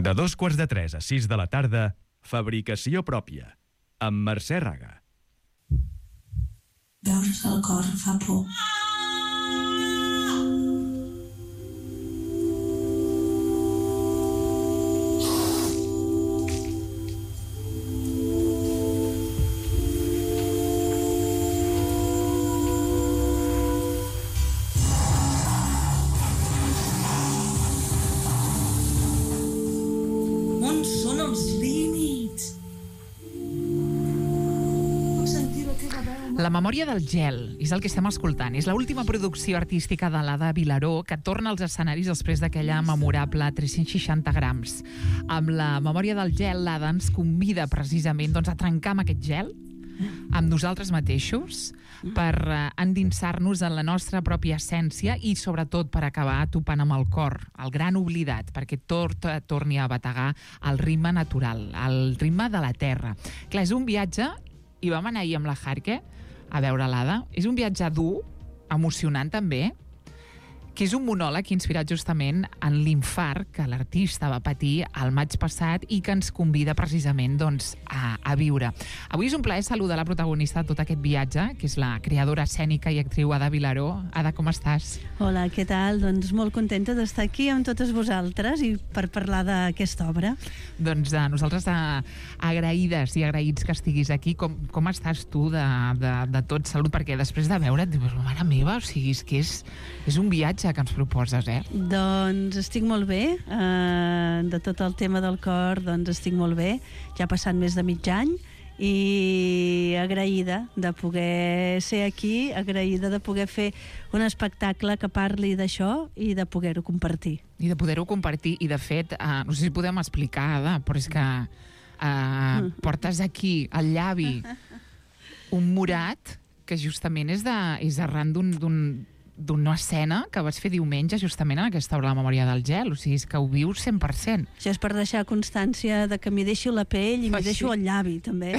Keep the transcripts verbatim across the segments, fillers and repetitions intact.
De dos quarts de tres a sis de la tarda, Fabricació pròpia, amb Mercè Raga. Veure's el cor fa por. On són els límits? La memòria del gel és el que estem escoltant. És l'última producció artística de l'Ada Vilaró, que torna als escenaris després d'aquella memorable tres-cents seixanta grams. Amb la memòria del gel, l'Ada ens convida precisament doncs, a trencar amb aquest gel, amb nosaltres mateixos, per uh, endinsar-nos en la nostra pròpia essència i, sobretot, per acabar topant amb el cor, el gran oblidat, perquè tot uh, torni a bategar el ritme natural, el ritme de la terra. Clar, és un viatge, i vam anar ahir amb la Jarque a veure l'Ada. És un viatge dur, emocionant també, que és un monòleg inspirat justament en l'infart que l'artista va patir el maig passat i que ens convida precisament doncs, a, a viure. Avui és un plaer saludar la protagonista de tot aquest viatge, que és la creadora escènica i actriu Ada Vilaró. Ada, com estàs? Hola, què tal? Doncs molt contenta d'estar aquí amb totes vosaltres i per parlar d'aquesta obra. Doncs eh, nosaltres eh, agraïdes i agraïts que estiguis aquí. Com, com estàs tu de, de, de tot? Salut, perquè després de veure't, dius, mare meva, o sigui, és que és, és un viatge que ens proposes, eh? Doncs estic molt bé, eh, de tot el tema del cor, doncs estic molt bé, ja ha passat més de mig any i agraïda de poder ser aquí, agraïda de poder fer un espectacle que parli d'això i de poder-ho compartir. I de poder-ho compartir, i de fet, eh, no sé si podem explicar, Ada, però és que eh, portes aquí al llavi un morat que justament és, de, és arran d'un... d'un d'una escena que vas fer diumenge justament en aquesta obra, La memòria del gel, o sigui, és que ho vius cent per cent. Això és per deixar constància de que m'hi deixo la pell i m'hi deixo el llavi, també.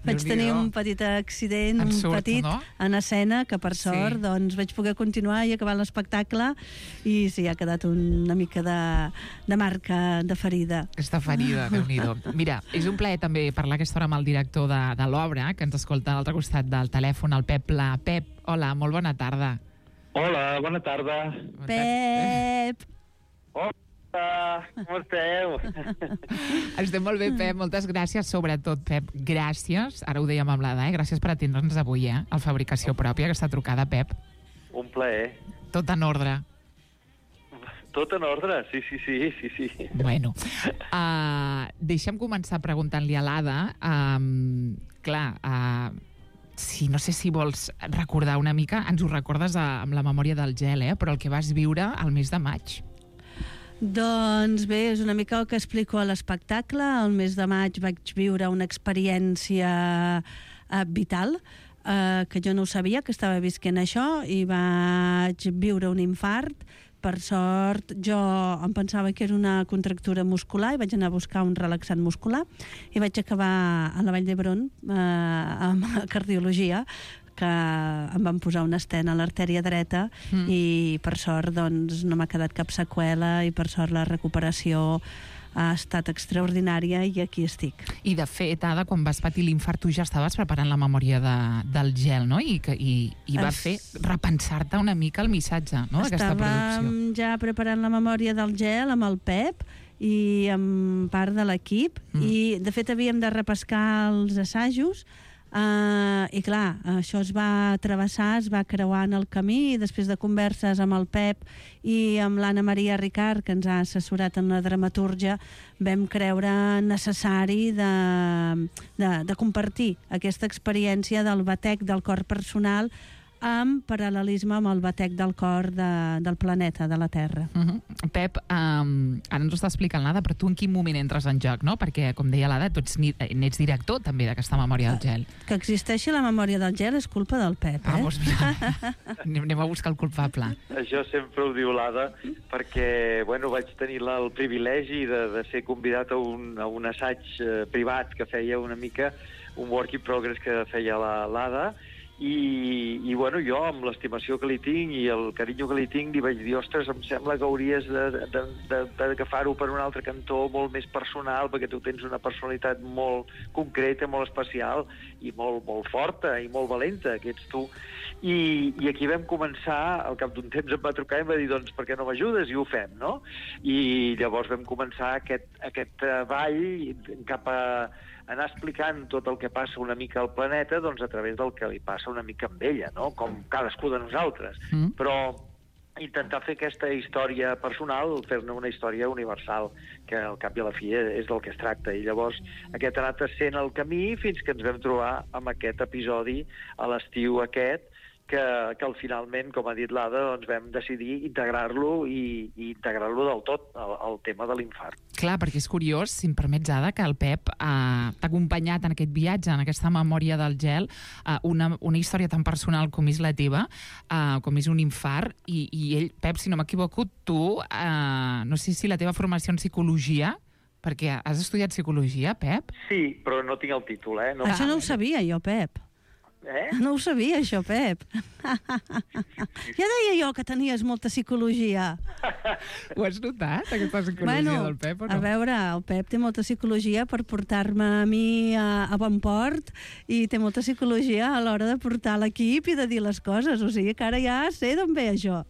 Vaig tenir un petit accident, en un surt, petit, no? en escena, que per sort, Sí. doncs vaig poder continuar i acabar l'espectacle, i sí, ha quedat una mica de, de marca, de ferida. Aquesta ferida, Déu-n'hi-do. Mira, és un plaer també parlar aquesta hora amb el director de, de l'obra, que ens escolta a l'altre costat del telèfon, el Pep Pla. Pep, hola, molt bona tarda. Hola, bona tarda. Pep! Hola, com esteu? Estem molt bé, Pep, moltes gràcies, sobretot, Pep, gràcies, ara ho dèiem amb l'Ada, eh? Gràcies per atendre'ns avui, eh? Al Fabricació Pròpia, aquesta trucada, Pep. Un plaer. Tot en ordre. Tot en ordre, sí, sí, sí, sí, sí. Bueno, uh, deixa'm començar preguntant-li a l'Ada, um, clar, uh, si no sé si vols recordar una mica, ens ho recordes a, amb la memòria del gel, eh? Però el que vas viure al mes de maig. Doncs bé, és una mica el que explico a l'espectacle. El mes de maig vaig viure una experiència eh, vital, eh, que jo no ho sabia, que estava visquent això, i vaig viure un infart. Per sort, jo em pensava que era una contractura muscular i vaig anar a buscar un relaxant muscular i vaig acabar a la Vall d'Hebron eh, amb cardiologia, que em van posar una estent a l'artèria dreta mm. i per sort doncs, no m'ha quedat cap seqüela i per sort la recuperació ha estat extraordinària i aquí estic. I de fet, Ada, quan vas patir l'infart tu ja estaves preparant la memòria de, del gel, no? I, que, i, i va es... fer repensar-te una mica el missatge, no?, d'aquesta producció. Estàvem ja preparant la memòria del gel amb el Pep i amb part de l'equip mm. i de fet havíem de repescar els assajos. Uh, i clar, això es va travessar, es va creuar en el camí i després de converses amb el Pep i amb l'Anna Maria Ricard, que ens ha assessorat en la dramatúrgia, vam creure necessari de, de, de compartir aquesta experiència del batec del cor personal amb paral·lelisme amb el batec del cor de, del planeta, de la Terra. Uh-huh. Pep, um, ara ens ho està explicant l'Ada, però tu en quin moment entres en joc, no? Perquè, com deia l'Ada, tu ets, n'ets director també d'aquesta memòria del gel. Que existeixi la memòria del gel és culpa del Pep, eh? Ah, doncs mira, anem a buscar el culpable. Això sempre ho diu l'Ada, perquè, bueno, vaig tenir la, el privilegi de, de ser convidat a un, a un assaig eh, privat que feia una mica, un work in progress que feia l'Ada, I, i bueno, jo, amb l'estimació que li tinc i el carinyo que li tinc, li vaig dir, ostres, em sembla que hauries d'agafar-ho per un altre cantó molt més personal, perquè tu tens una personalitat molt concreta, molt especial i molt, molt forta i molt valenta, que ets tu. I, i aquí vam començar, al cap d'un temps em va trucar i em va dir, doncs, per què no m'ajudes? I ho fem, no? I llavors vam començar aquest, aquest ball cap a anar explicant tot el que passa una mica al planeta, doncs a través del que li passa una mica amb ella, no? Com cadascú de nosaltres. Mm. Però intentar fer aquesta història personal, fer-ne una història universal, que al cap i a la fi és del que es tracta. I llavors aquest ha anat sent el camí fins que ens vam trobar amb aquest episodi a l'estiu aquest, que, que al finalment, com ha dit l'Ada, doncs vam decidir integrar-lo i, i integrar-lo del tot, el, el tema de l'infart. Clar, perquè és curiós, si em permets, Ada, que el Pep eh, t'ha acompanyat en aquest viatge, en aquesta memòria del gel, eh, una, una història tan personal com és la teva, eh, com és un infart, i, i ell, Pep, si no m'equivoco, tu, eh, no sé si la teva formació en psicologia, perquè has estudiat psicologia, Pep? Sí, però no tinc el títol, eh? No... Això no ho sabia jo, Pep. Eh? No ho sabia, això, Pep. Ja deia jo que tenies molta psicologia. Ho has notat, aquesta psicologia bueno, del Pep, o no? A veure, el Pep té molta psicologia per portar-me a mi a, a bon port i té molta psicologia a l'hora de portar l'equip i de dir les coses. O sigui que ara ja sé d'on ve això.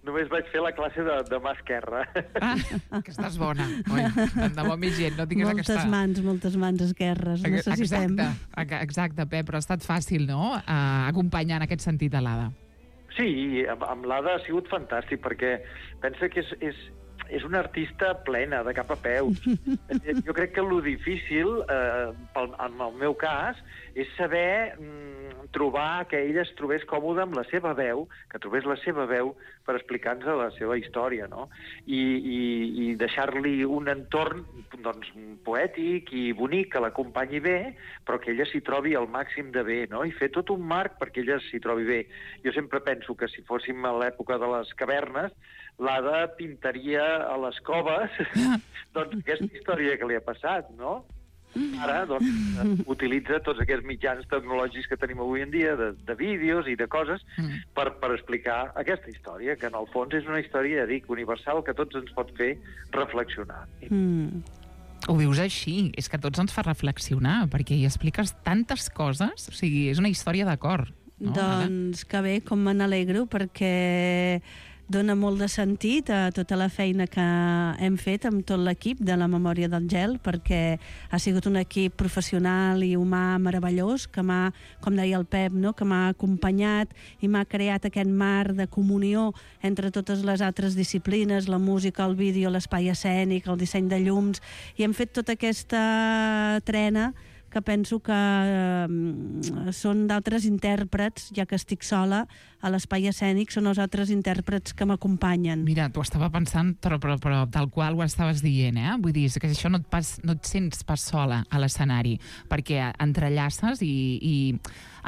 Només vaig fer la classe de, de mà esquerra. Ah, que estàs bona. Oi, tant de bo més gent, no tingués moltes aquesta... mans, moltes mans esquerres. Necessitem. Exacte, exacte, Pep, però ha estat fàcil, no?, uh, acompanyar en aquest sentit a l'Ada. Sí, amb, amb l'Ada ha sigut fantàstic, perquè pensa que és, és, és una artista plena, de cap a peus. Jo crec que lo difícil, eh, pel, en el meu cas, és saber mm, trobar que ella es trobés còmoda amb la seva veu, que trobés la seva veu per explicar-nos la seva història, no? I, i, i deixar-li un entorn doncs, poètic i bonic que l'acompanyi bé, però que ella s'hi trobi al màxim de bé, no? I fer tot un marc perquè ella s'hi trobi bé. Jo sempre penso que si fóssim a l'època de les cavernes, l'Ada pintaria a les coves doncs, aquesta història que li ha passat, no? Ara, doncs, utilitza tots aquests mitjans tecnològics que tenim avui en dia, de, de vídeos i de coses, mm. per, per explicar aquesta història, que en el fons és una història, ja dic, universal, que tots ens pot fer reflexionar. Mm. Ho dius així, és que tots ens fa reflexionar, perquè hi expliques tantes coses, o sigui, és una història de cor. No? Doncs que bé, com me n'alegro, perquè dona molt de sentit a tota la feina que hem fet amb tot l'equip de la Memòria del Gel, perquè ha sigut un equip professional i humà meravellós, que m'ha, com deia el Pep, no? que m'ha acompanyat i m'ha creat aquest mar de comunió entre totes les altres disciplines, la música, el vídeo, l'espai escènic, el disseny de llums, i hem fet tota aquesta trena que penso que eh, són d'altres intèrprets, ja que estic sola a l'espai escènic, són els altres intèrprets que m'acompanyen. Mira, t'ho estava pensant, però, però, però tal qual ho estaves dient, eh? Vull dir, que això no et, pas, no et sents pas sola a l'escenari, perquè entrellaces i, i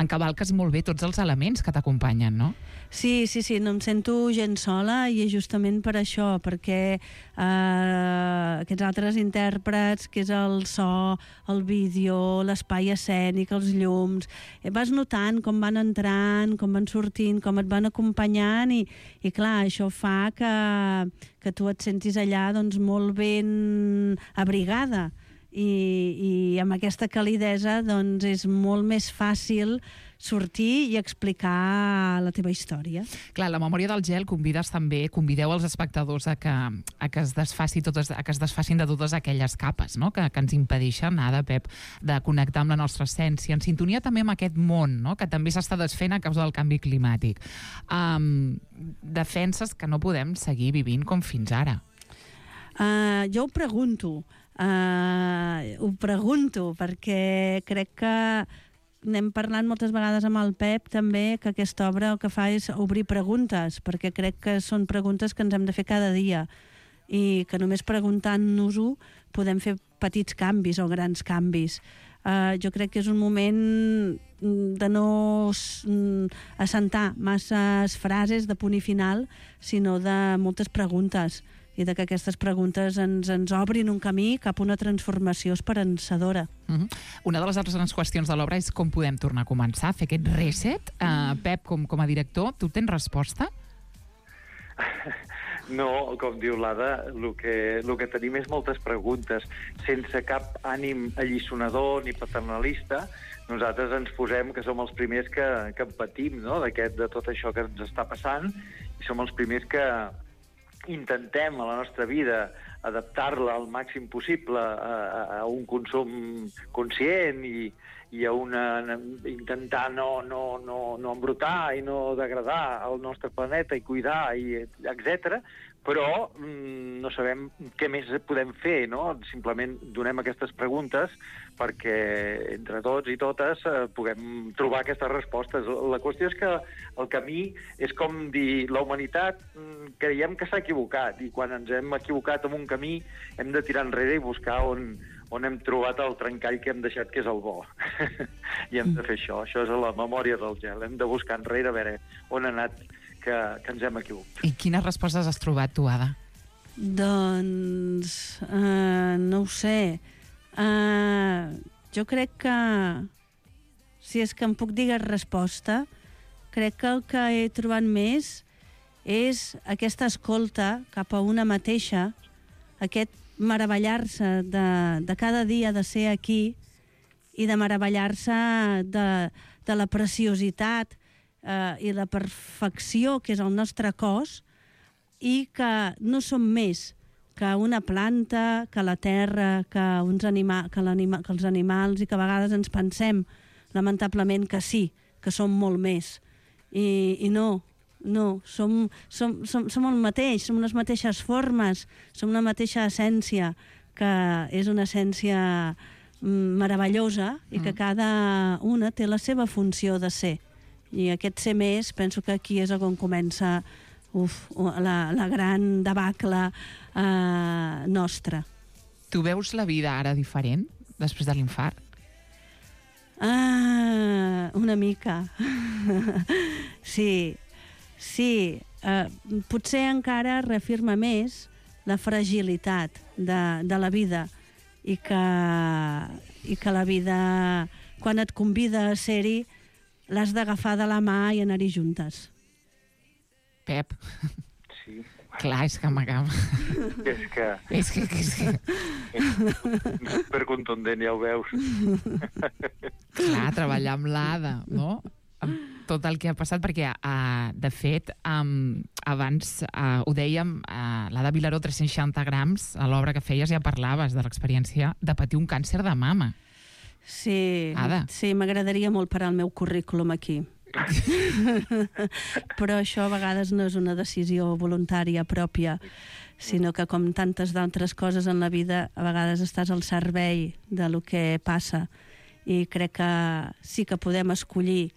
encavalques molt bé tots els elements que t'acompanyen, no? Sí, sí, sí, no em sento gens sola i és justament per això, perquè eh, aquests altres intèrprets, que és el so, el vídeo, l'espai escènic, els llums, eh, vas notant com van entrant, com van sortint, com et van acompanyant i, i clar, això fa que, que tu et sentis allà doncs, molt ben abrigada. I, i amb aquesta calidesa doncs, és molt més fàcil sortir i explicar la teva història. Clar, la Memòria del Gel convides també, convideu els espectadors a que, a que, es, desfaci totes, a que es desfacin de totes aquelles capes, no? que, que ens impedeixen, Ada, Pep, de connectar amb la nostra essència, en sintonia també amb aquest món, no? que també s'està desfent a causa del canvi climàtic. Um, defenses que no podem seguir vivint com fins ara. Uh, jo ho pregunto, uh, ho pregunto, perquè crec que n'hem parlat moltes vegades amb el Pep també, que aquesta obra el que fa és obrir preguntes, perquè crec que són preguntes que ens hem de fer cada dia i que només preguntant-nos-ho podem fer petits canvis o grans canvis. Uh, jo crec que és un moment de no assentar masses frases de punt i final, sinó de moltes preguntes i de que aquestes preguntes ens, ens obrin un camí cap a una transformació esperançadora. Uh-huh. Una de les altres qüestions de l'obra és com podem tornar a començar, fer aquest reset. Uh, Pep, com, com a director, tu tens resposta? No, com diu l'Ada, el que, el que tenim és moltes preguntes. Sense cap ànim alliçonador ni paternalista, nosaltres ens posem que som els primers que, que en patim, no?, d'aquest, de tot això que ens està passant, i som els primers que intentem a la nostra vida adaptar-la al màxim possible a, a un consum conscient i, i a una, intentar no, no, no, no embrutar i no degradar el nostre planeta i cuidar, i etcètera. Però mm, no sabem què més podem fer, no? Simplement donem aquestes preguntes perquè entre tots i totes eh, puguem trobar aquestes respostes. La qüestió és que el camí és com dir, la humanitat mm, creiem que s'ha equivocat, i quan ens hem equivocat en un camí hem de tirar enrere i buscar on, on hem trobat el trencall que hem deixat, que és el bo. I hem de fer això. Això és la memòria del gel. Hem de buscar enrere a veure on ha anat que, que ens hem equivocat. I quines respostes has trobat tu, Ada? Doncs... Uh, no ho sé. Uh, jo crec que... Si és que em puc dir resposta, crec que el que he trobat més és aquesta escolta cap a una mateixa, aquest meravellar-se de, de cada dia de ser aquí i de meravellar-se de, de la preciositat eh, i la perfecció que és el nostre cos, i que no som més que una planta, que la terra, que, uns anima que, que els animals, i que a vegades ens pensem, lamentablement, que sí, que som molt més. I, i no, no, som, som, som, som el mateix, som les mateixes formes, som una mateixa essència, que és una essència meravellosa i que cada una té la seva funció de ser. I aquest ser més, penso que aquí és on comença uf, la, la gran debacle eh, nostra. Tu veus la vida ara diferent, després de l'infart? Ah, una mica. Sí, sí. Uh, potser encara reafirma més la fragilitat de, de la vida, i que, i que la vida, quan et convida a ser-hi, l'has d'agafar de la mà i anar-hi juntes. Pep. Sí. Clar, és que m'acaba. És que... És que... És que... És supercontundent, ja ho veus. Clar, treballar amb l'Ada, no? Amb tot el que ha passat, perquè, uh, de fet, um, abans uh, ho dèiem, uh, l'Ada Vilaró, tres-cents seixanta grams, a l'obra que feies ja parlaves de l'experiència de patir un càncer de mama. Sí, Ada. Sí, m'agradaria molt parar el meu currículum aquí. Però això a vegades no és una decisió voluntària pròpia, sinó que, com tantes d'altres coses en la vida, a vegades estàs al servei de lo que passa, i crec que sí que podem escollir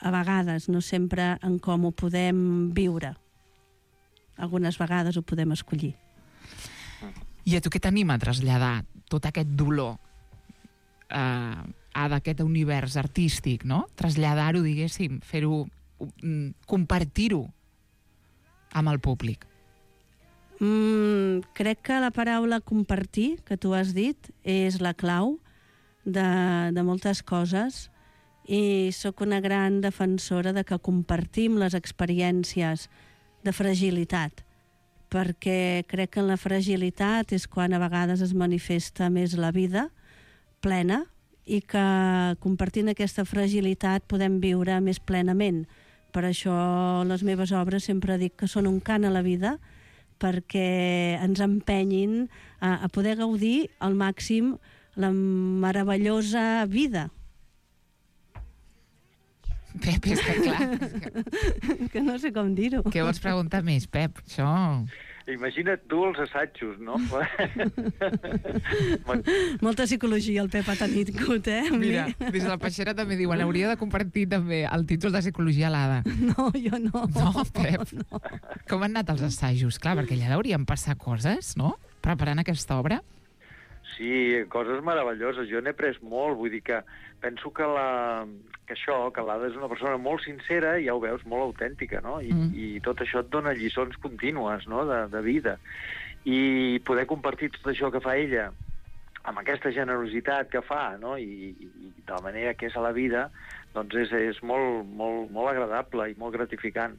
a vegades, no sempre, en com ho podem viure. Algunes vegades ho podem escollir. I a tu què t'anima a traslladar tot aquest dolor eh, a d'aquest univers artístic, no? Traslladar-ho, diguéssim, fer-ho, compartir-ho amb el públic. Mm, crec que la paraula compartir, que tu has dit, és la clau de, de moltes coses, i sóc una gran defensora de que compartim les experiències de fragilitat, perquè crec que en la fragilitat és quan a vegades es manifesta més la vida plena, i que compartint aquesta fragilitat podem viure més plenament. Per això les meves obres sempre dic que són un cant a la vida, perquè ens empenyin a, a poder gaudir al màxim la meravellosa vida. Pep, és que clar... És que... que no sé com dir-ho. Què vols preguntar més, Pep? Això... Imagina't tu els assajos, no? Molta psicologia el Pep ha tingut, eh? Mira, des de la Peixera també diuen hauria de compartir també el títol de psicologia a l'Ada. No, jo no. No, Pep? No. Com han anat els assajos? Clar, perquè allà deurien passar coses, no? Preparant aquesta obra. Sí, coses meravelloses. Jo n'he après molt, vull dir que penso que, la, que això, que l'Ada és una persona molt sincera, i ja ho veus, molt autèntica, no? I, mm. i tot això et dona lliçons contínues, no?, de, de vida. i poder compartir tot això que fa ella amb aquesta generositat que fa, no? I, i, i de la manera que és a la vida, doncs és, és molt, molt, molt agradable i molt gratificant.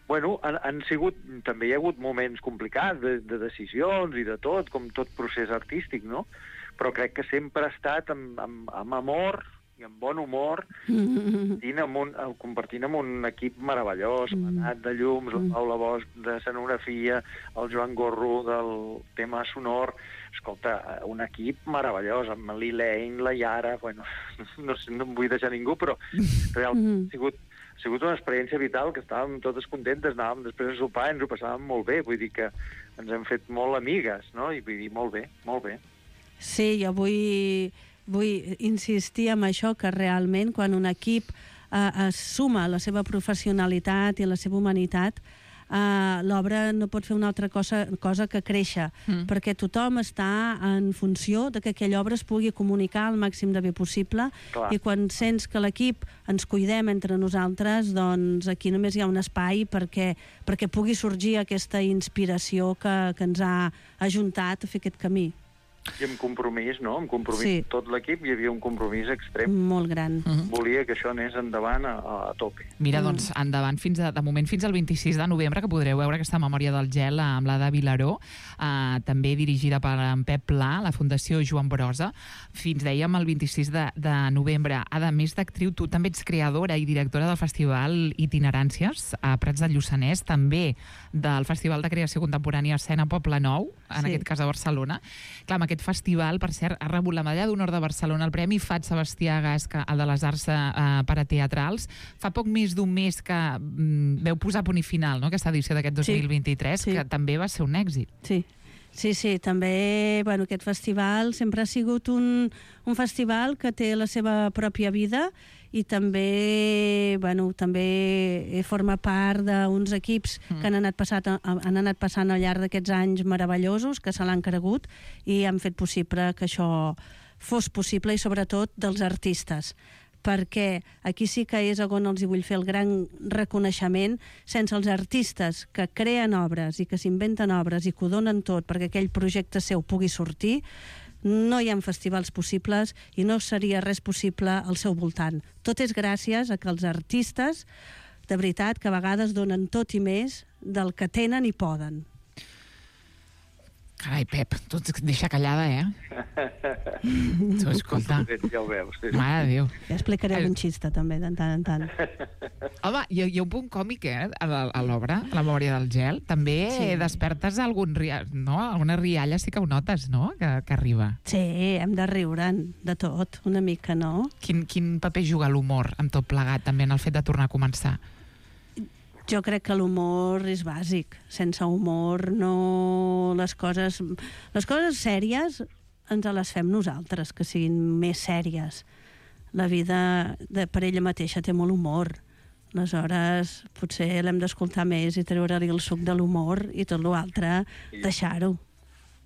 Bueno, han, han sigut, també hi ha hagut moments complicats de, de decisions i de tot, com tot procés artístic, no? Però crec que sempre ha estat amb, amb, amb amor i amb bon humor, compartint amb un, compartint amb un equip meravellós, l'Anat de Llums, la Paula Bosch de Scenografia, el Joan Gorro del tema sonor. Escolta, un equip meravellós, amb l'Elaine, la Yara, bueno, no, no em vull deixar ningú, però realment ha sigut, ha sigut una experiència vital, que estàvem totes contentes, anàvem després a sopar i ens ho passàvem molt bé, vull dir que ens hem fet molt amigues, no? I vull dir, molt bé, molt bé. Sí, jo vull, vull insistir en això, que realment quan un equip eh, es suma a la seva professionalitat i a la seva humanitat, Uh, l'obra no pot fer una altra cosa, cosa que créixer, mm. perquè tothom està en funció de que aquella obra es pugui comunicar al màxim de bé possible. Clar. I quan sents que l'equip ens cuidem entre nosaltres, doncs aquí només hi ha un espai perquè, perquè pugui sorgir aquesta inspiració que, que ens ha ajuntat a fer aquest camí. I amb compromís, no? Amb compromís. Sí. Tot l'equip hi havia un compromís extrem. Molt gran. Uh-huh. Volia que això anés endavant a, a tope. Mira, doncs, endavant, fins a, de moment fins al vint-i-sis de novembre, que podreu veure aquesta Memòria del gel amb l'Ada Vilaró, eh, també dirigida per en Pep Pla, la Fundació Joan Brossa. Fins, dèiem, el vint-i-sis de, de novembre. A més d'actriu, tu també ets creadora i directora del Festival Itineràncies a Prats del Lluçanès, també del Festival de Creació Contemporània Escena Poble Nou, en sí. aquest cas a Barcelona. Clar, amb aquest festival, per cert, ha rebut la medalla d'honor de Barcelona, el Premi Fat Sebastià Gasca, el de les arts eh, parateatrals. Fa poc més d'un mes que mm, veu posar punt i final, no?, aquesta edició d'aquest dos mil vint-i-tres, sí. que també va ser un èxit. Sí. Sí, sí, també, bueno, aquest festival sempre ha sigut un, un festival que té la seva pròpia vida i també, bueno, també forma part d'uns equips mm. que han anat, passat, han anat passant al llarg d'aquests anys meravellosos, que se l'han cregut i han fet possible que això fos possible, i sobretot dels artistes, perquè aquí sí que és on els hi vull fer el gran reconeixement. Sense els artistes que creen obres i que s'inventen obres i que ho donen tot perquè aquell projecte seu pugui sortir, no hi ha festivals possibles i no seria res possible al seu voltant. Tot és gràcies a que els artistes, de veritat, que a vegades donen tot i més del que tenen i poden. Carai, Pep, tu et deixa callada, eh? Tu, escolta. Ja ho veus. Sí. Mare de Déu. Ja explicaré un xista, també, de tant en tant. Home, hi ha, hi ha un punt còmic, eh, a l'obra, a la Memòria del gel. També sí. despertes algun riall, no? Alguna rialla sí que ho notes, no?, que, que arriba. Sí, hem de riure'n de tot, una mica, no? Quin, quin paper juga l'humor amb tot plegat, també, en el fet de tornar a començar? Jo crec que l'humor és bàsic. Sense humor no... Les coses, les coses sèries ens les fem nosaltres, que siguin més sèries. La vida de, per ella mateixa té molt humor. Aleshores, potser l'hem d'escoltar més i treure-li el suc de l'humor i tot l'altre deixar-ho.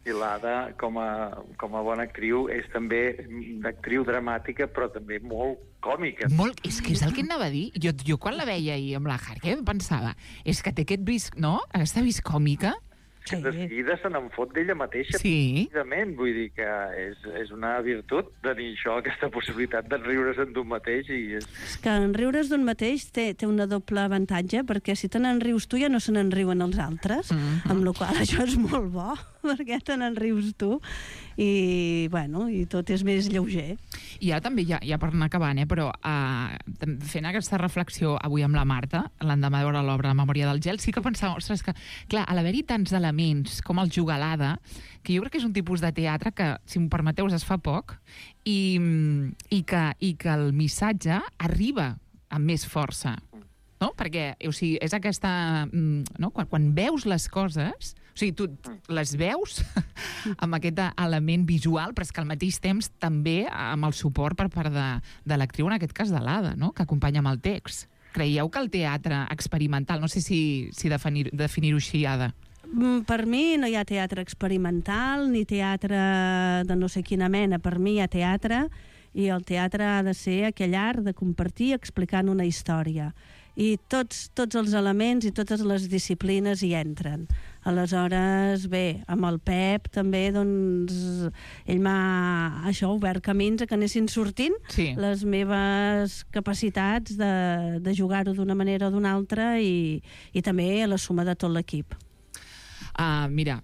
I l'Ada, com a, com a bona actriu, és també d'actriu dramàtica, però també molt còmica. Molt, és que és el que anava a dir. Jo, jo quan la veia ahir amb la Harker pensava, és que té aquest vis, no?, aquesta vis còmica. Sí. De seguida se n'en fot d'ella mateixa. Sí. Vull dir que és, és una virtut tenir això, aquesta possibilitat de riure's d'un mateix. I és... és que en riure's d'un mateix té, té una doble avantatge, perquè si te n'en rius tu ja no se n'en riuen els altres, mm-hmm. amb la qual cosa això és molt bo, perquè te n'en rius tu i, bueno, i tot és més lleuger. I ara també, ja, ja per anar acabant, eh, però uh, fent aquesta reflexió avui amb la Marta, l'endemà de veure l'obra La Memòria del gel, sí que pensava, ostres, que clar, a l'haver-hi tants elements com el jugalada, que jo crec que és un tipus de teatre que, si m'ho permeteu, es fa poc, i, i, que, i que el missatge arriba amb més força, no? Perquè, o sigui, és aquesta... No? Quan, quan veus les coses... O sigui, tu les veus amb aquest element visual, però és que al mateix temps també amb el suport per part de, de l'actriu, en aquest cas de l'Ada, no?, que acompanya amb el text. Creieu que el teatre experimental, no sé si, si definir, definir-ho així, Ada? Per mi no hi ha teatre experimental ni teatre de no sé quina mena. Per mi hi ha teatre, i el teatre ha de ser aquell art de compartir explicant una història. I tots, tots els elements i totes les disciplines hi entren. Aleshores, bé, amb el Pep també, doncs, ell m'ha, això, obert camins a que anessin sortint Sí. les meves capacitats de, de jugar-ho d'una manera o d'una altra i, i també la suma de tot l'equip. Uh, mira,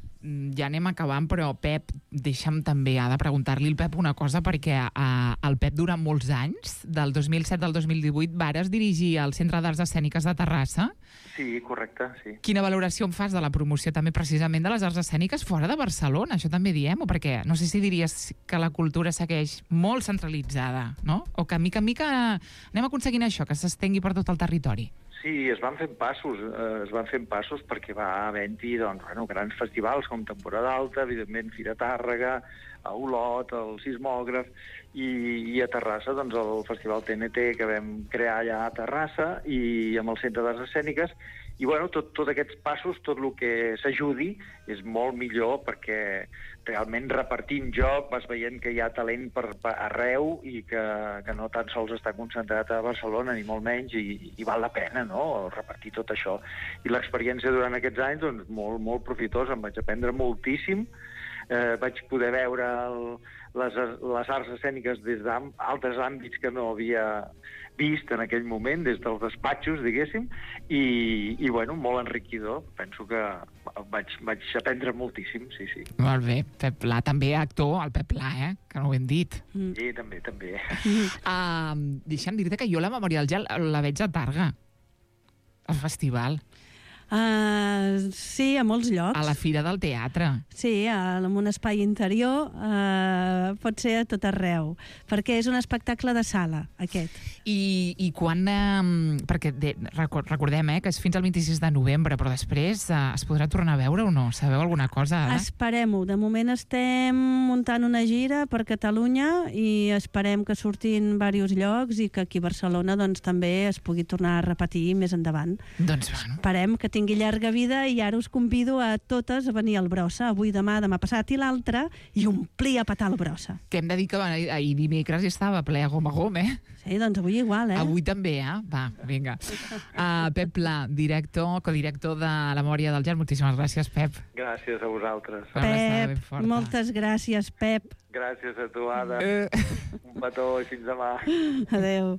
ja anem acabant, però Pep, deixa'm també, ha de preguntar-li al Pep una cosa, perquè uh, el Pep durant molts anys, del dos mil set al dos mil divuit, vares dirigir el Centre d'Arts Escèniques de Terrassa. Sí, correcte, sí. Quina valoració en fas de la promoció també precisament de les arts escèniques fora de Barcelona? Això també diem, o perquè no sé si diries que la cultura segueix molt centralitzada, no? O que mica en mica anem aconseguint això, que s'estengui per tot el territori. Sí, es van fent passos, eh, es van fent passos perquè va havent-hi doncs, bueno, grans festivals com Temporada Alta, evidentment Fira Tàrrega, a Olot, el Sismògraf, i, i a Terrassa doncs, el Festival T N T que vam crear allà a Terrassa i amb el Centre d'Arts Escèniques. I bueno, tot, tot aquests passos, tot el que s'ajudi és molt millor perquè realment repartint joc vas veient que hi ha talent per, per arreu i que, que no tan sols està concentrat a Barcelona, ni molt menys, i, i val la pena, no?, repartir tot això. I l'experiència durant aquests anys, doncs, molt, molt profitosa, em vaig aprendre moltíssim, eh, vaig poder veure el, les, les arts escèniques des d'altres àmbits que no havia vist en aquell moment, des dels despatxos, diguéssim, i, i bueno, molt enriquidor. Penso que vaig, vaig aprendre moltíssim, sí, sí. Molt bé. Pep Pla, també actor, el Pep Pla, eh? Que no ho hem dit. Mm. Sí, també, també. Uh, deixa'm dir-te que jo la Memòria del Gel la veig a Targa, al festival. Uh, sí, a molts llocs. A la Fira del Teatre. Sí, en un espai interior, uh, pot ser a tot arreu, perquè és un espectacle de sala, aquest. I, i quan... Eh, perquè de, recordem eh, que és fins al vint-i-sis de novembre, però després eh, es podrà tornar a veure o no? Sabeu alguna cosa ara? Esperem-ho. De moment estem muntant una gira per Catalunya i esperem que surtin diversos llocs i que aquí a Barcelona doncs, també es pugui tornar a repetir més endavant. Doncs bueno. Esperem que tingui llarga vida i ara us convido a totes a venir al Brossa, avui, demà, demà passat i l'altre, i omplir a petar el Brossa. Que hem de dir que ahir dimecres estava ple a gom a gom, eh? Sí, doncs avui igual, eh? Avui també, eh? Va, vinga. Uh, Pep Pla, director, codirector de La Memòria del Gel. Moltíssimes gràcies, Pep. Gràcies a vosaltres. Pep, moltes gràcies, Pep. Gràcies a tu, Ada. Uh. Un petó i fins demà. Adéu.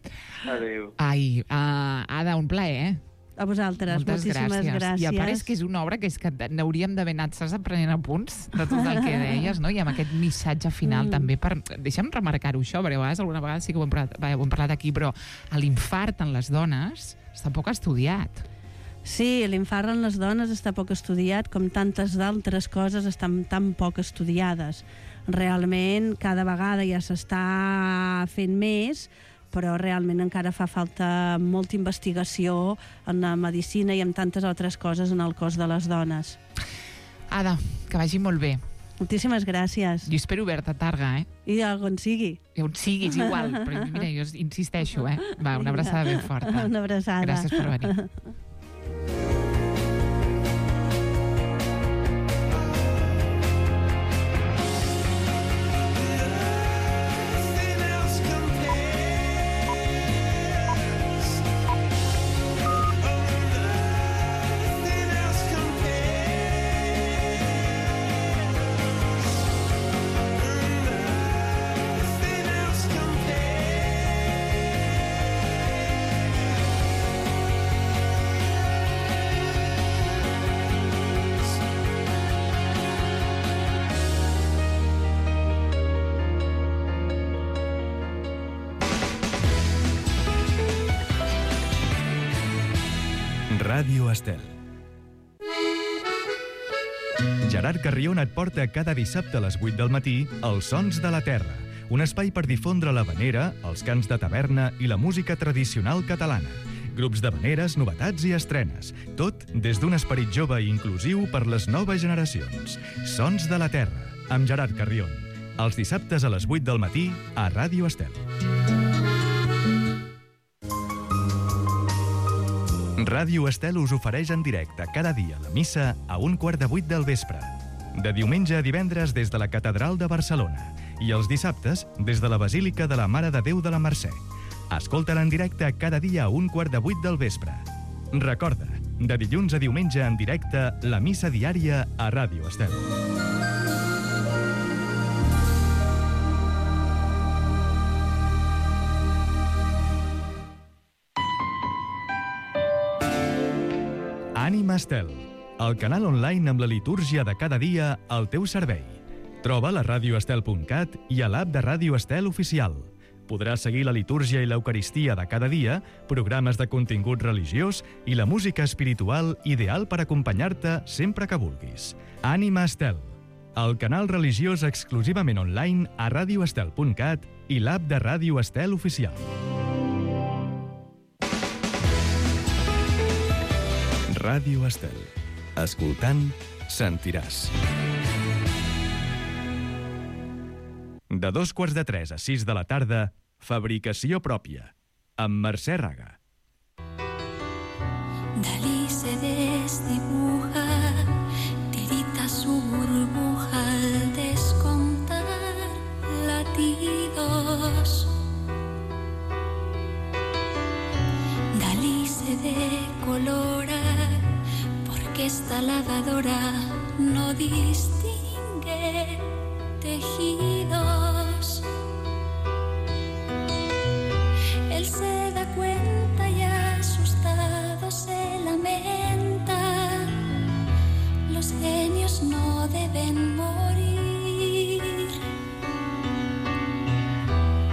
Adéu. Ai, uh, Ada, un plaer, eh? A vosaltres, moltes moltíssimes gràcies. gràcies. I a part és que és una obra que és que n'hauríem d'haver anat, saps, aprenent apunts de tot el que deies, no? I amb aquest missatge final mm. també per... Deixa'm remarcar-ho això, perquè a vegades alguna vegada sí que ho hem parlat, ho hem parlat aquí, però l'infart en les dones està poc estudiat. Sí, l'infart en les dones està poc estudiat, com tantes d'altres coses estan tan poc estudiades. Realment, cada vegada ja s'està fent més, però realment encara fa falta molta investigació en la medicina i en tantes altres coses en el cos de les dones. Ada, que vagi molt bé. Moltíssimes gràcies. Jo espero veure-te a Targa, eh? I on sigui. I on sigui, és igual, però mira, jo insisteixo, eh? Va, una abraçada ben forta. Una abraçada. Gràcies per venir. Ràdio Estel. Gerard Carrion et porta cada dissabte a les vuit del matí Els Sons de la Terra, un espai per difondre l'havanera, els cants de taverna i la música tradicional catalana. Grups d'havaneres, novetats i estrenes. Tot des d'un esperit jove i inclusiu per les noves generacions. Sons de la Terra, amb Gerard Carrion. Els dissabtes a les vuit del matí a Ràdio Estel. Ràdio Estel us ofereix en directe cada dia la missa a un quart de vuit del vespre. De diumenge a divendres des de la Catedral de Barcelona i els dissabtes des de la Basílica de la Mare de Déu de la Mercè. Escolta-la en directe cada dia a un quart de vuit del vespre. Recorda, De dilluns a diumenge en directe, la missa diària a Ràdio Estel. Ànima Estel, el canal online amb la litúrgia de cada dia al teu servei. Troba a radio estel punt cat i a l'app de Ràdio Estel Oficial. Podràs seguir la litúrgia i l'eucaristia de cada dia, programes de contingut religiós i la música espiritual ideal per acompanyar-te sempre que vulguis. Ànima Estel, el canal religiós exclusivament online a radio estel punt cat i l'app de Ràdio Estel Oficial. Ràdio Estel. Escoltant, sentiràs. De dos quarts de tres a sis de la tarda, Fabricació pròpia, amb Mercè Raga. Dalí se desdibuja, tirita su burbuja al descontar latidos. Dalí se decolora, porque esta lavadora no distingue tejidos. Él se da cuenta y asustado se lamenta. Los genios no deben morir.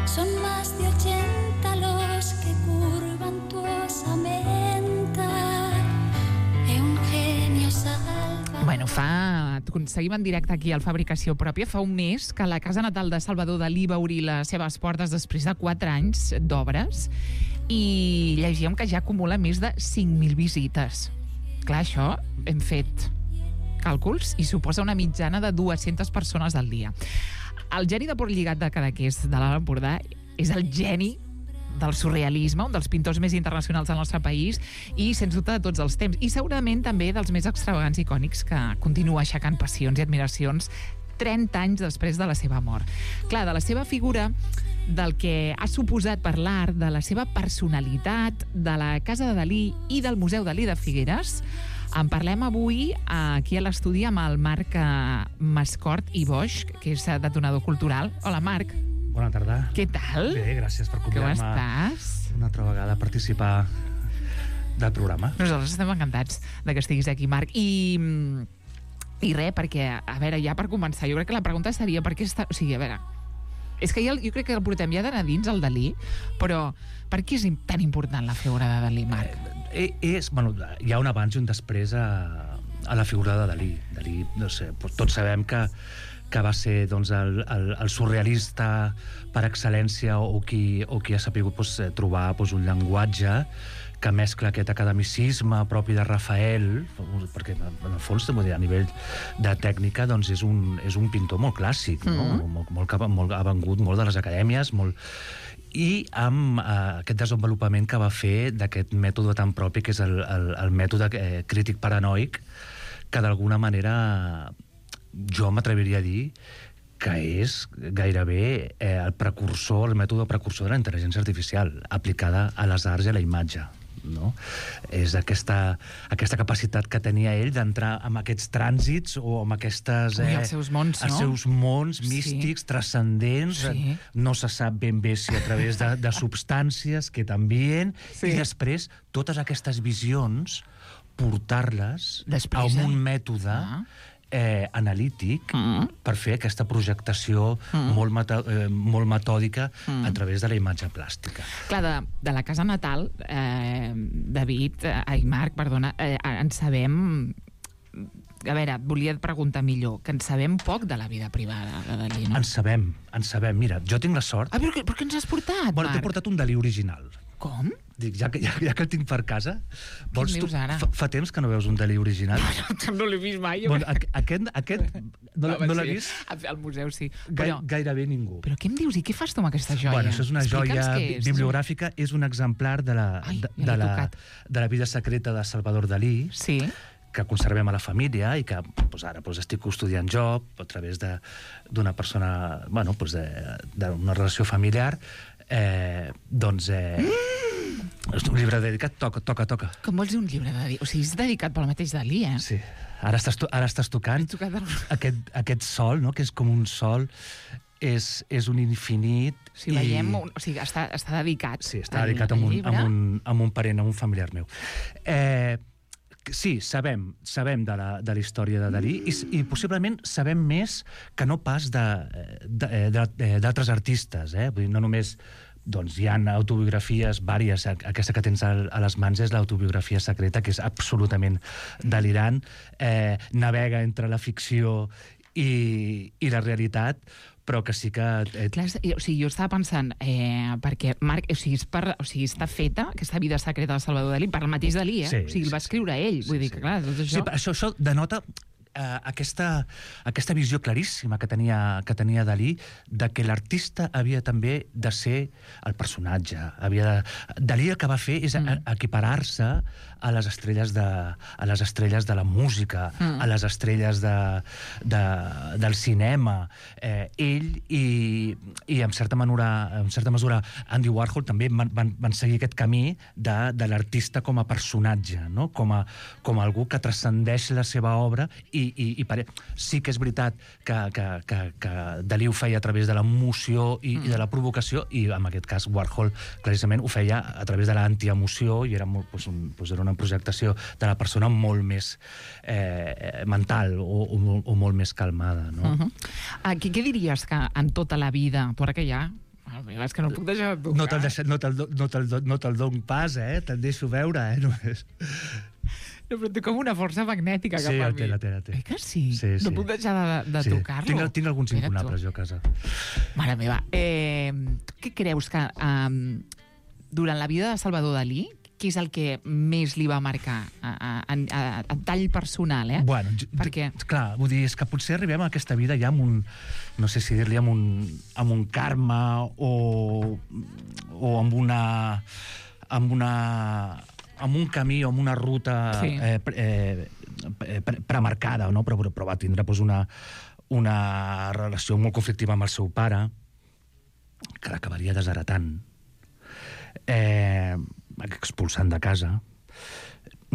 Son más de ochenta los que curvan tu osamenta. E un genio salva. Bueno, fa... Seguim en directe aquí al Fabricació Pròpia. Fa un mes que la casa natal de Salvador Dalí va obrir les seves portes després de quatre anys d'obres i llegíem que ja acumula més de cinc mil visites. Clar, això hem fet càlculs i suposa una mitjana de dues-centes persones al dia. El geni de Port Lligat de Cadaqués, de l'Alt Empordà, és el geni del surrealisme, un dels pintors més internacionals del nostre país i, sens dubte, de tots els temps. I segurament també dels més extravagants i icònics que continua aixecant passions i admiracions trenta anys després de la seva mort. Clar, de la seva figura, del que ha suposat per l'art, de la seva personalitat, de la Casa de Dalí i del Museu Dalí de Figueres, en parlem avui aquí a l'estudi amb el Marc Mascort i Boix, que és detonador cultural. Hola, Marc. Bona tarda. Què tal? Bé, gràcies per convidar-me una altra vegada a participar del programa. Nosaltres estem encantats de que estiguis aquí, Marc. I, i res, perquè, a veure, ja per començar, jo crec que la pregunta seria per què està... O sigui, a veure, és que ja, jo crec que el portem ja d'anar dins, el Dalí, però per què és tan important la figura de Dalí, Marc? Eh, és, bueno, hi ha un abans i un després a, a la figura de Dalí. Dalí, no sé, tots sabem que que va ser doncs, el, el, el surrealista per excel·lència o qui, o qui ha sabut doncs, trobar doncs, un llenguatge que mescla aquest academicisme propi de Rafael, perquè en el fons a nivell de tècnica doncs, és, un, és un pintor molt clàssic, no? mm-hmm. molt, molt, molt, ha vengut molt de les acadèmies, molt... i amb eh, aquest desenvolupament que va fer d'aquest mètode tan propi que és el, el, el mètode eh, crític paranoic, que d'alguna manera jo m'atreviria a dir que és gairebé eh, el precursor, el mètode precursor de la intel·ligència artificial aplicada a les arts i a la imatge. No? És aquesta, aquesta capacitat que tenia ell d'entrar en aquests trànsits o en aquestes... Eh, Ui, els seus mons, no? Els seus mons místics, sí. transcendents, sí. no se sap ben bé si a través de, de substàncies, que també, sí. i després totes aquestes visions portar-les després, a un eh? mètode ah. Eh, analític mm. per fer aquesta projectació mm. molt, meta, eh, molt metòdica mm. a través de la imatge plàstica. Clar, de, de la casa natal, eh, David, eh, ai, Marc, perdona, eh, en sabem... A veure, volia preguntar millor, que en sabem poc de la vida privada de Dalí, no? En sabem, en sabem. Mira, jo tinc la sort... Ah, però, però què ens has portat, bueno, Marc? T'he portat un Dalí original. Com? Dic, ja que, ja, ja que el tinc per casa... Vols Quin tu, dius ara? Fa, fa temps que no veus un Dalí original? No, no l'he vist mai. Bueno, aquest, aquest no, no l'ha vist? Al museu, sí. Gai, Però, gairebé ningú. però què em dius? I què fas tu amb aquesta joia? Bueno, això és una Explica'ns joia què és. bibliogràfica, és un exemplar de la, Ai, de, ja de, l'he la, tocat. de la vida secreta de Salvador Dalí, Sí. que conservem a la família i que pues, ara pues, estic custodiant jo a través d'una persona, bueno, pues, d'una relació familiar, eh, doncs... Eh, És un llibre dedicat, toca, toca, toca. Com vols dir un llibre dedicat? O sigui, és dedicat pel mateix Dalí, eh? Sí. Ara estàs, to ara estàs tocant aquest, aquest sol, no? Que és com un sol, és, és un infinit... Si veiem, un, o sigui, està, està dedicat. Sí, està dedicat a un, a, un, a un parent, a un familiar meu. Eh, sí, sabem, sabem de la, de la història de Dalí i, i possiblement sabem més que no pas d'altres artistes, eh? Vull dir, no només... Doncs hi ha autobiografies vàries. Aquesta que tens a les mans és l'autobiografia secreta, que és absolutament delirant. Eh, navega entre la ficció i, i la realitat, però que sí que... Eh... Clar, o sigui, jo estava pensant, eh, perquè Marc, o sigui, és per, o sigui, està feta, aquesta vida secreta de Salvador Dalí, per el mateix Dalí, eh? Sí, o sigui, el va escriure ell. Sí, Vull dir sí. que, clar, tot això... Sí, això, això denota... Uh, aquesta, aquesta visió claríssima que tenia, que tenia Dalí de que l'artista havia també de ser el personatge. Havia de... Dalí el que va fer és mm. equiparar-se a les estrelles de, a les estrelles de la música, mm. a les estrelles de, de, del cinema. Eh, ell i, i en certa mesura, en certa mesura Andy Warhol també van, van, van seguir aquest camí de, de l'artista com a personatge, no? com, a, com a algú que transcendeix la seva obra i I, i pare... sí que és veritat que, que, que, que Dalí ho feia a través de l'emoció i, mm. i de la provocació, i en aquest cas Warhol claríssimament ho feia a través de l'antiemoció, i era, molt, doncs, un, doncs era una projectació de la persona molt més eh, mental o, o, o molt més calmada, no? Uh-huh. uh, què, què diries que en tota la vida, tu ara que ja... És que no puc deixar de tocar. No te'l no te no te no te dono pas, eh? Te'l deixo veure, eh? Només. No, però té com una força magnètica cap sí, a mi. Sí, la té, la té. Eh que sí? sí, sí. No puc deixar de, de sí. tocar-lo? Tinc, tinc alguns incunables, jo, a casa. Mare meva. Eh, què creus que um, durant la vida de Salvador Dalí, què és el que més li va marcar a, a, a, a tall personal, eh? Bueno, perquè... clar, vull dir, és que potser arribem a aquesta vida ja amb un, no sé si dir-li, amb un, amb un karma o, o amb una... amb una... amb un camí o amb una ruta sí. eh, eh, pre premarcada, no? però, però va tindre pues, una, una relació molt conflictiva amb el seu pare, que l'acabaria desheretant, eh, expulsant de casa,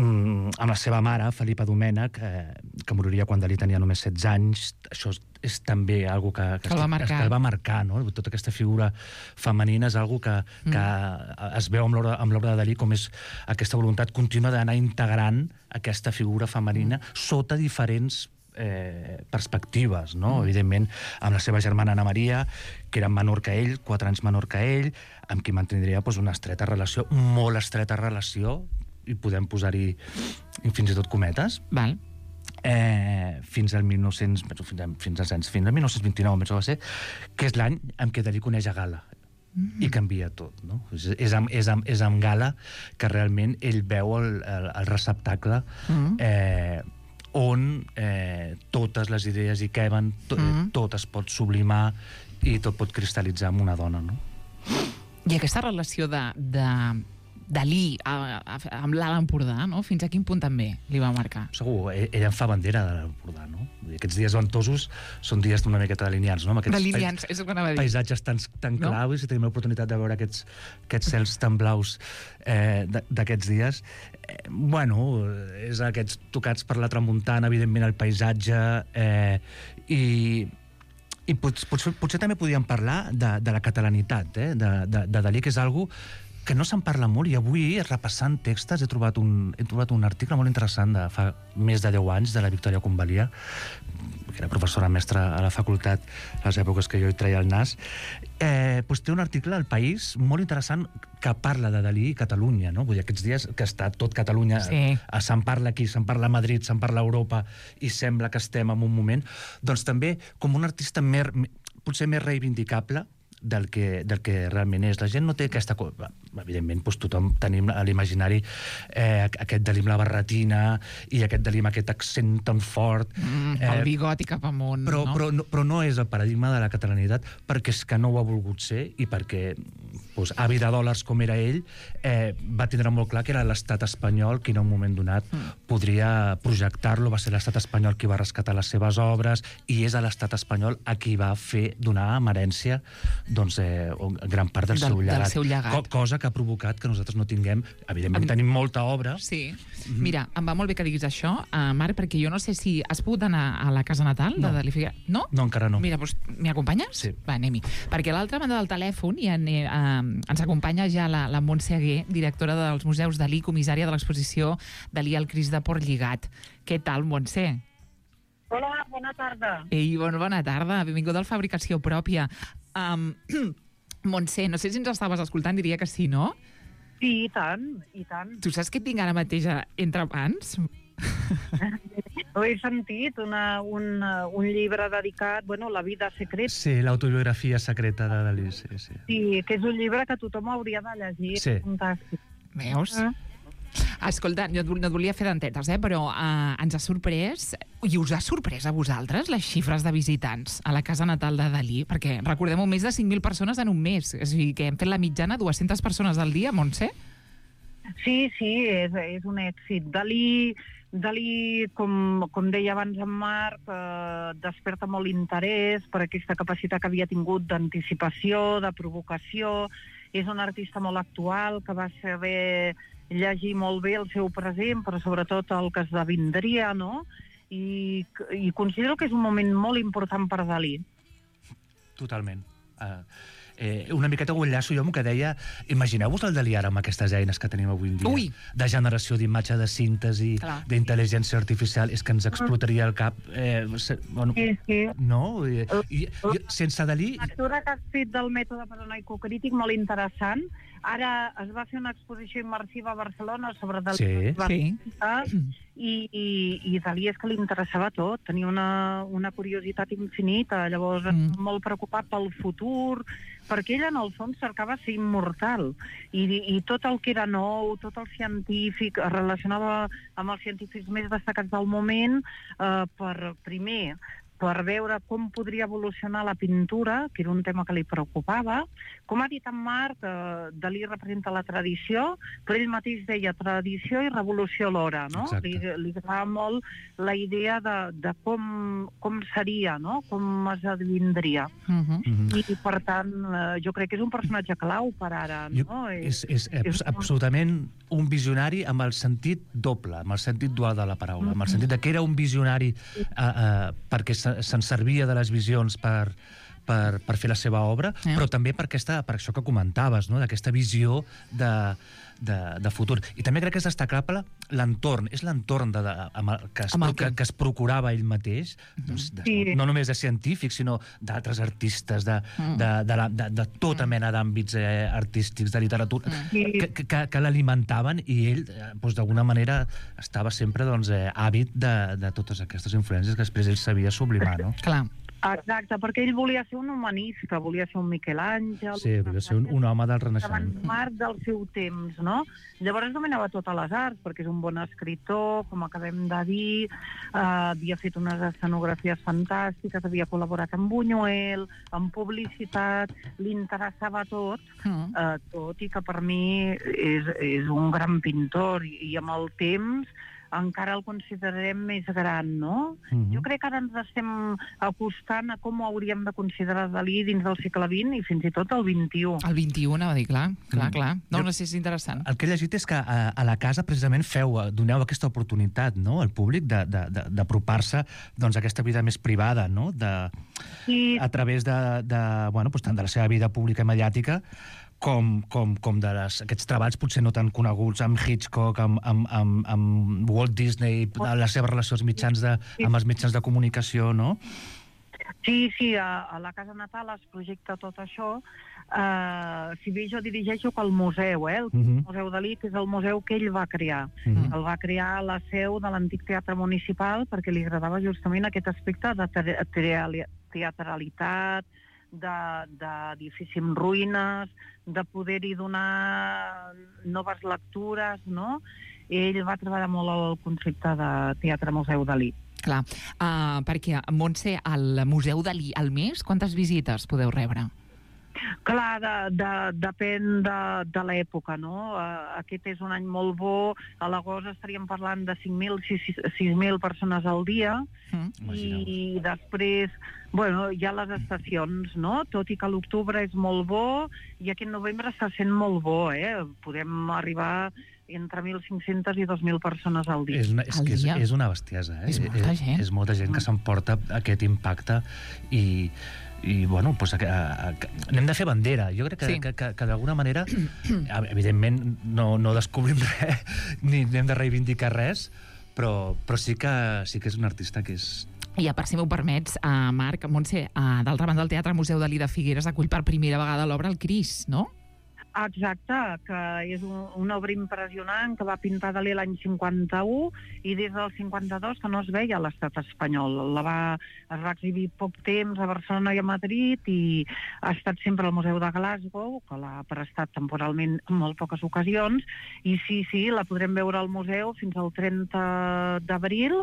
mm, amb la seva mare, Felipa Domènech, eh, que moriria quan Dalí tenia només setze anys. Això és, és també algo que, que, que, el va marcar. que el va marcar, no? Tota aquesta figura femenina és algo que, que mm. es veu amb l'obra de Dalí, com és aquesta voluntat contínua d'anar integrant aquesta figura femenina mm. sota diferents eh, perspectives, no? Mm. Evidentment, amb la seva germana Ana Maria, que era menor que ell, quatre anys menor que ell, amb qui mantindria pues, una estreta relació, molt estreta relació, i podem posar-hi fins i tot cometes. Val. Eh, fins al mil nou-cents, fins, fins als anys, fins al mil nou-cents vint-i-nou, va ser, que és l'any en què Dalí coneix a Gala. Mm-hmm. I canvia tot, no? És, és, amb, és, amb, és amb Gala que realment ell veu el, el, el receptacle mm-hmm. eh, on eh, totes les idees hi queben, to, mm-hmm. tot es pot sublimar i tot pot cristal·litzar en una dona, no? I aquesta relació de... de... Dalí a, a, amb l'Alt Empordà, no? Fins a quin punt també li va marcar? Segur, ell en fa bandera de l'Alt Empordà, no? Aquests dies ventosos són dies d'una miqueta delineants, no? Amb aquests delineants, és el que anava a dir. Paisatges tan, tan no? claus, i tenim l'oportunitat de veure aquests, aquests cels tan blaus eh, d'aquests dies. Eh, bueno, és aquests tocats per la tramuntana, evidentment, el paisatge, eh, i... i potser, potser, potser també podíem parlar de, de la catalanitat, eh? de, de, de Dalí, que és algo que no se'n parla molt, i avui, repassant textos, he trobat un, he trobat un article molt interessant de fa més de deu anys, de la Victòria Convalià, que era professora mestra a la facultat a les èpoques que jo hi treia el nas. Eh, doncs té un article al País molt interessant que parla de Dalí i Catalunya, no? Vull dir, aquests dies que està tot Catalunya, sí. se'n parla aquí, se'n parla a Madrid, se'n parla a Europa, i sembla que estem en un moment, doncs també com un artista més, potser més reivindicable del que, del que realment és. La gent no té aquesta... Evidentment, doncs tothom tenim a l'imaginari eh, aquest Dalí amb la barretina i aquest Dalí amb aquest accent tan fort. Mm, eh, el bigoti cap amunt, però, no? Però, no? Però no és el paradigma de la catalanitat, perquè és que no ho ha volgut ser i perquè doncs, avi de dòlars com era ell, eh, va tindre molt clar que era l'estat espanyol qui en un moment donat mm. podria projectar-lo, va ser l'estat espanyol qui va rescatar les seves obres, i és a l'estat espanyol a qui va fer donar en herència doncs, eh, gran part del, del seu llegat. Del seu llegat. Co cosa que ha provocat que nosaltres no tinguem... Evidentment, tenim molta obra. Sí. Mm-hmm. Mira, em va molt bé que diguis això, uh, Marc, perquè jo no sé si has pogut anar a la casa natal no. de Dalí Figueras. No? No, encara no. Mira, doncs, m'hi acompanyes? Sí. Va, anem-hi. Perquè a l'altra banda del telèfon hi ha, eh, ens acompanya ja la, la Montse Aguer, directora dels Museus Dalí, comissària de l'exposició Dalí al Crist de Portlligat. Què tal, Montse? Hola, bona tarda. Ei, bon, bona tarda. Benvinguda al Fabricació Pròpia. Um, Montse, no sé si ens estaves escoltant, diria que sí, no? Sí, i tant, i tant. Tu saps què tinc ara mateix entre mans? Ho he sentit, una, un, un llibre dedicat, bueno, La vida secreta. Sí, l'autobiografia secreta de Dalí, sí, sí. Sí, que és un llibre que tothom hauria de llegir. Sí. Fantàstic. Veus? Mm. Escolta, no et volia fer dentetes, eh? Però uh, ens ha sorprès, i us ha sorprès a vosaltres, les xifres de visitants a la casa natal de Dalí? Perquè, recordem-ho, més de cinc mil persones en un mes. És a dir, que hem fet la mitjana dues-centes persones al dia, Montse? Sí, sí, és, és un èxit. Dalí, Dalí com, com deia abans en Marc, eh, desperta molt interès per aquesta capacitat que havia tingut d'anticipació, de provocació. És un artista molt actual, que va saber llegir molt bé el seu present, però sobretot el que esdevindria, no? I, i considero que és un moment molt important per Dalí. Totalment. Uh, eh, una miqueta ho enllaço jo amb el que deia, imagineu-vos el Dalí ara amb aquestes eines que tenim avui en dia. Ui. De generació d'imatge, de síntesi, d'intel·ligència artificial, és que ens explotaria el cap. Eh, se, bueno, sí, sí. No? I, i, i, sense Dalí... La lectura que has fet del mètode paranoico-crític, molt interessant. Ara es va fer una exposició immersiva a Barcelona sobre Dalí. Sí, sí. I, i, i Dalí és que li interessava tot, tenia una, una curiositat infinita, llavors mm. molt preocupat pel futur, perquè ell en el fons cercava ser immortal, i, i tot el que era nou, tot el científic, es relacionava amb els científics més destacats del moment, eh, per primer per veure com podria evolucionar la pintura, que era un tema que li preocupava. Com ha dit en Marc, eh, Dalí representa la tradició, però ell mateix deia tradició i revolució alhora, no? Li, li agradava molt la idea de, de com, com seria, no? Com esdevindria. Uh-huh. I, I, per tant, eh, jo crec que és un personatge clau per ara, no? Jo, és, és, és, és absolutament un visionari amb el sentit doble, amb el sentit dual de la paraula, amb el sentit de que era un visionari eh, eh, perquè se'n servia de les visions per, per, per fer la seva obra, yeah. però també per, aquesta, per això que comentaves, no? D'aquesta visió de, de, de futur. I també crec que és destacable l'entorn, és l'entorn de, de, amb el, que, es, que, que es procurava ell mateix, mm-hmm. doncs, de, sí. no només de científics, sinó d'altres artistes, de, mm. de, de, de, de, de tota mena d'àmbits eh, artístics, de literatura, mm. que, que, que l'alimentaven, i ell, doncs, d'alguna manera, estava sempre doncs, eh, àvid de, de totes aquestes influències que després ell sabia sublimar, no? Clar. Exacte, perquè ell volia ser un humanista, volia ser un Miquel Àngel... Sí, volia ser un, un home del Renaixement. Marc del seu temps, no? Llavors dominava totes les arts, perquè és un bon escriptor, com acabem de dir, eh, havia fet unes escenografies fantàstiques, havia col·laborat amb Buñuel, amb publicitat, li interessava tot, eh, tot, i que per mi és, és un gran pintor, i, i amb el temps encara el considerem més gran, no? Mm-hmm. Jo crec que ara ens estem acostant a com ho hauríem de considerar Dalí dins del segle vint i fins i tot el vint-i-u. El vint-i-u, anava a dir, clar, clar, clar. No, no sé si és interessant. El que he llegit és que a, a la casa precisament feu, doneu aquesta oportunitat, no?, al públic d'apropar-se doncs, a aquesta vida més privada, no?, de, sí. a través de, de, bueno, doncs, tant de la seva vida pública i mediàtica, com, com, com de les, aquests treballs potser no tan coneguts, amb Hitchcock, amb, amb, amb, amb Walt Disney, la seva relació als mitjans de, amb els mitjans de comunicació, no? Sí, sí, a, a la Casa Natal es projecta tot això. Uh, si bé jo dirigeixo pel museu, eh? El uh-huh. Museu Dalí, que és el museu que ell va crear. Uh-huh. El va crear a la seu de l'antic teatre municipal perquè li agradava justament aquest aspecte de teatralitat, d'edifici en ruïnes, de poder-hi donar noves lectures, no? Ell va treballar molt el concepte de teatre-museu Dalí. Clar, uh, perquè, Montse, al Museu Dalí al mes, quantes visites podeu rebre? Clar, de, de, depèn de, de l'època, no? Uh, aquest és un any molt bo, a l'agost estaríem parlant de cinc mil, sis mil persones al dia, mm. i després, bueno, hi ha les estacions, no? Tot i que l'octubre és molt bo, i aquest novembre està sent molt bo, eh? Podem arribar entre mil cinc-centes i dos mil persones al dia. És una, és, que és, és una bestiesa, eh? És molta gent. És, és molta gent que s'emporta aquest impacte i, i bueno, pues, a, a, a, anem de fer bandera. Jo crec que, sí. que, que, que d'alguna manera, evidentment, no, no descobrim res, ni anem de reivindicar res, però, però sí, que, sí que és un artista que és... I a part, si m'ho permets, uh, Marc, Montse, uh, d'altra banda, el Teatre Museu Dalí de Figueres acull per primera vegada l'obra El Cris, no? Exacte, que és un, una obra impressionant que va pintar Dalí l'any cinquanta-u i des del cinquanta-dos que no es veia a l'estat espanyol. La va, es va exhibir poc temps a Barcelona i a Madrid i ha estat sempre al Museu de Glasgow, que l'ha prestat temporalment en molt poques ocasions, i sí, sí, la podrem veure al museu fins al trenta d'abril.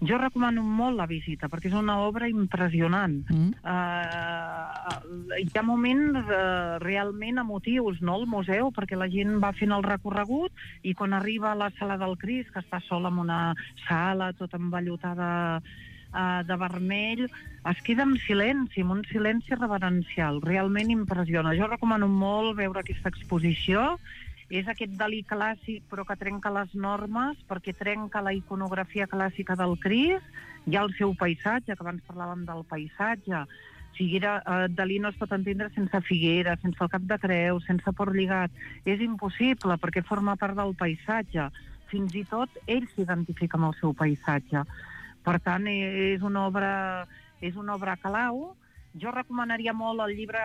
Jo recomano molt la visita, perquè és una obra impressionant. Mm. Uh, hi ha moments uh, realment emotius, no?, al museu, perquè la gent va fent el recorregut i quan arriba a la sala del Cris, que està sola en una sala tota envellotada uh, de vermell, es queda en silenci, en un silenci reverencial. Realment impressiona. Jo recomano molt veure aquesta exposició. És aquest Dalí clàssic, però que trenca les normes, perquè trenca la iconografia clàssica del Cris. Hi ha el seu paisatge, que abans parlàvem del paisatge. Figuera, eh, Dalí no es pot entendre sense Figuera, sense el Cap de Creus, sense Port Lligat. És impossible, perquè forma part del paisatge. Fins i tot ell s'identifica amb el seu paisatge. Per tant, és una obra, és una obra clau. Jo recomanaria molt el llibre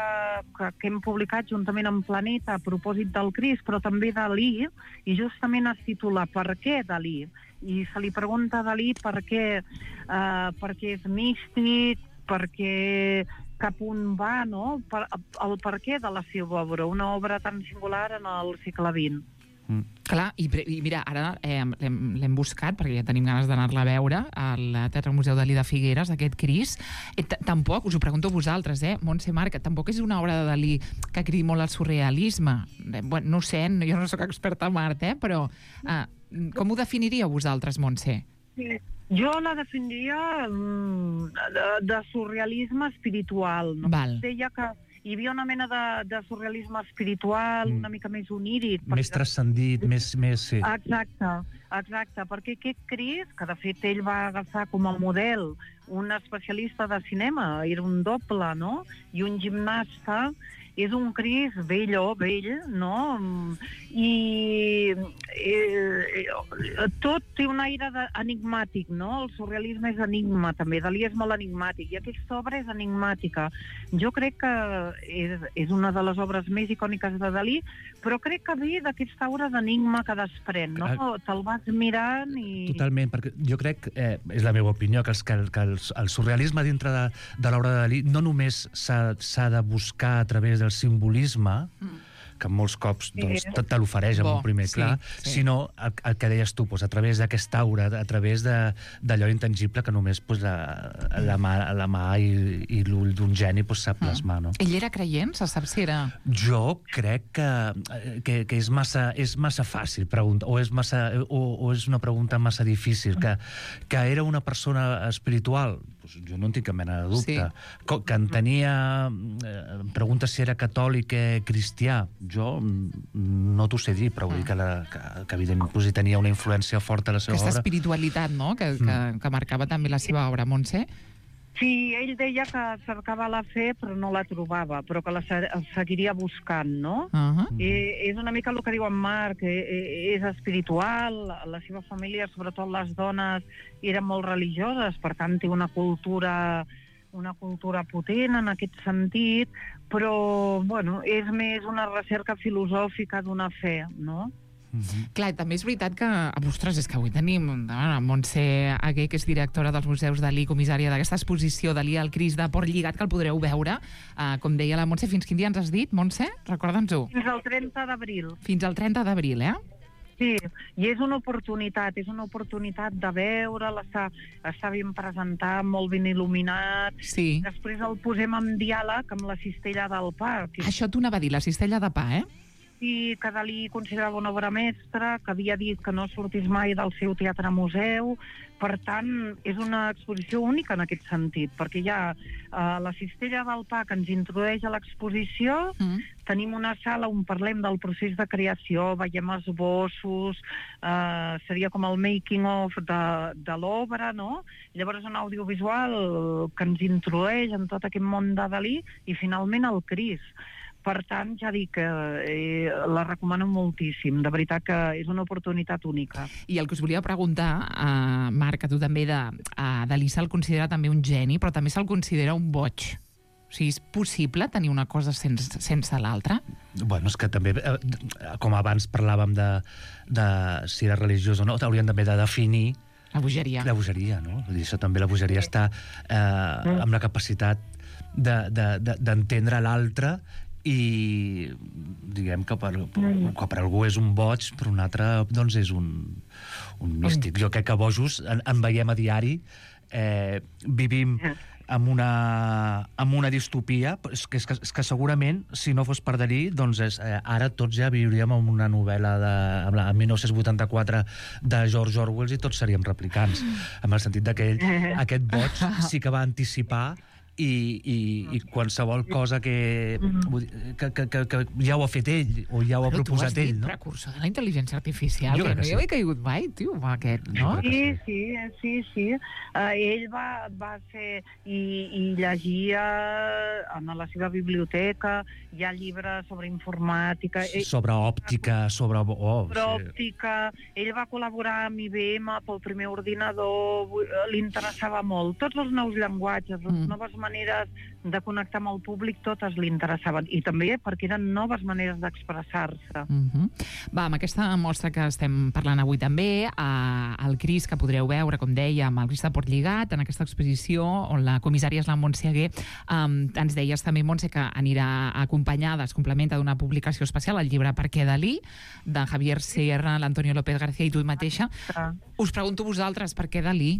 que, que hem publicat juntament amb Planeta a propòsit del Cris, però també Dalí, i justament es titula Per què Dalí? I se li pregunta a Dalí per què, eh, perquè és místic, perquè cap on va, no? Per, el per què de la seva obra, una obra tan singular en el segle vint. Mm. Clar, i, i mira, ara eh, l'hem buscat, perquè ja tenim ganes d'anar-la a veure, al Teatre Museu Dalí de Figueres, aquest Cris. Eh, tampoc, us ho pregunto a vosaltres, eh, Montse, Marc, tampoc és una obra de Dalí que cridi molt al surrealisme. Eh, bueno, no ho sé, jo no sóc experta en art, eh, però eh, com ho definiríeu vosaltres, Montse? Sí. Jo la definiria de, de surrealisme espiritual. No? Val. Deia que hi havia una mena de, de surrealisme espiritual, mm. una mica més oníric. Més perquè... transcendit, més... més sí. Exacte, exacte, perquè aquest Cris, que de fet ell va agafar com a model un especialista de cinema, era un doble, no?, i un gimnasta, és un Cris vell o vell, no?, i eh, tot té un aire de, enigmàtic, no?, el surrealisme és enigma també, Dalí és molt enigmàtic, i aquesta obra és enigmàtica. Jo crec que és, és una de les obres més icòniques de Dalí, però crec que ve d'aquesta aura d'enigma que desprèn, no? Ah, te'l vas mirant i... Totalment, perquè jo crec, eh, és la meva opinió, que, els, que, el, que el, el surrealisme dintre de, de l'obra de Dalí no només s'ha de buscar a través del simbolisme, mm. que molts cops doncs, te, te l'ofereix en un primer clar, sí, sí. sinó el, el que deies tu, doncs, a través d'aquesta aura, a través d'allò intangible que només doncs, la, la mà, la mà i, i l'ull d'un geni doncs, sap plasmar. No? Ell era creient? Se sap si era... Jo crec que, que, que és, massa, és massa fàcil preguntar, o és, massa, o, o és una pregunta massa difícil, que, que era una persona espiritual, doncs jo no en tinc cap mena de dubte, sí. que, que entenia... Eh, pregunta si era catòlic o cristià, jo no t'ho sé dir, però vull dir que, la, que, que evidentment pues, hi tenia una influència forta a la seva Aquesta obra. Aquesta espiritualitat, no?, que, que, que marcava també la seva obra, Montse. Sí, ell deia que cercava la fe però no la trobava, però que la seguiria buscant, no? Uh-huh. I és una mica el que diu en Marc, és espiritual, la seva família, sobretot les dones, eren molt religioses, per tant té una cultura... una cultura potent en aquest sentit, però, bueno, és més una recerca filosòfica d'una fe, no? Mm-hmm. Clar, també és veritat que, ostres, és que avui tenim a Montse Aguer, que és directora dels Museus Dalí, comissària d'aquesta exposició Dalí al Cris de Port Lligat, que el podreu veure, uh, com deia la Montse. Fins quin dia ens has dit, Montse? Recorda'ns-ho. Fins al trenta d'abril. Fins al trenta d'abril, eh? Sí, i és una oportunitat, és una oportunitat de veure'l, està, està ben presentat, molt ben il·luminat. Sí. Després el posem en diàleg amb la Cistella del Pa. Que... Això t'ho anava a dir, la Cistella de Pa, eh? Sí, que Dalí considerava una obra mestra, que havia dit que no sortís mai del seu teatre-museu. Per tant, és una exposició única en aquest sentit, perquè hi ha uh, la Cistella del Pa que ens introdueix a l'exposició, mm. tenim una sala on parlem del procés de creació, veiem esbossos, uh, seria com el making of de, de l'obra, no? Llavors un audiovisual que ens introdueix en tot aquest món de Dalí i finalment el Cris. Per tant, ja dic que eh, la recomano moltíssim. De veritat que és una oportunitat única. I el que us volia preguntar, uh, Marc, a tu també, de, uh, Dalí se'l considera també un geni, però també se'l considera un boig. O sigui, és possible tenir una cosa sense, sense l'altra? Bueno, és que també, eh, com abans parlàvem de, de si era religiós o no, hauríem també de definir la bogeria. La bogeria, no? Vull dir, això també, la bogeria està eh, amb la capacitat de, de, de, d'entendre l'altre i diguem que per, que per algú és un boig, per un altre doncs és un, un místic. Jo crec que bojos en, en veiem a diari, eh, vivim amb una, amb una distopia, és que, és, que, és que segurament, si no fos per Dalí, doncs és, eh, ara tots ja viuríem en una novel·la de, en la, en dinou vuitanta-quatre de George Orwell i tots seríem replicants, en el sentit que ell, aquest boig sí que va anticipar I, i, i qualsevol cosa que, que, que, que, que ja ho ha fet ell o ja ho ha Però proposat ell, no? Precursor de la intel·ligència artificial, jo que no sí. hi havia caigut mai, tio, aquest, no? Sí, sí, sí, sí. Uh, ell va, va ser i, i llegia en la seva biblioteca, hi ha llibres sobre informàtica, sobre òptica, sobre... Oh, sobre sí. òptica, ell va col·laborar amb I B M pel primer ordinador, li interessava molt. Tots els nous llenguatges, les mm. noves maneres de connectar amb el públic, totes li interessaven. I també perquè eren noves maneres d'expressar-se. Mm-hmm. Va, amb aquesta mostra que estem parlant avui també, eh, el Cris, que podreu veure, com deia, amb el Cris de Portlligat, en aquesta exposició, on la comissària és la Montse Aguer, eh, ens deies també, Montse, que anirà acompanyada, es complementa d'una publicació especial, el llibre Per què Dalí, de Javier Sierra, l'Antonio López García i tu mateixa. Ah. Us pregunto vosaltres, per què Dalí?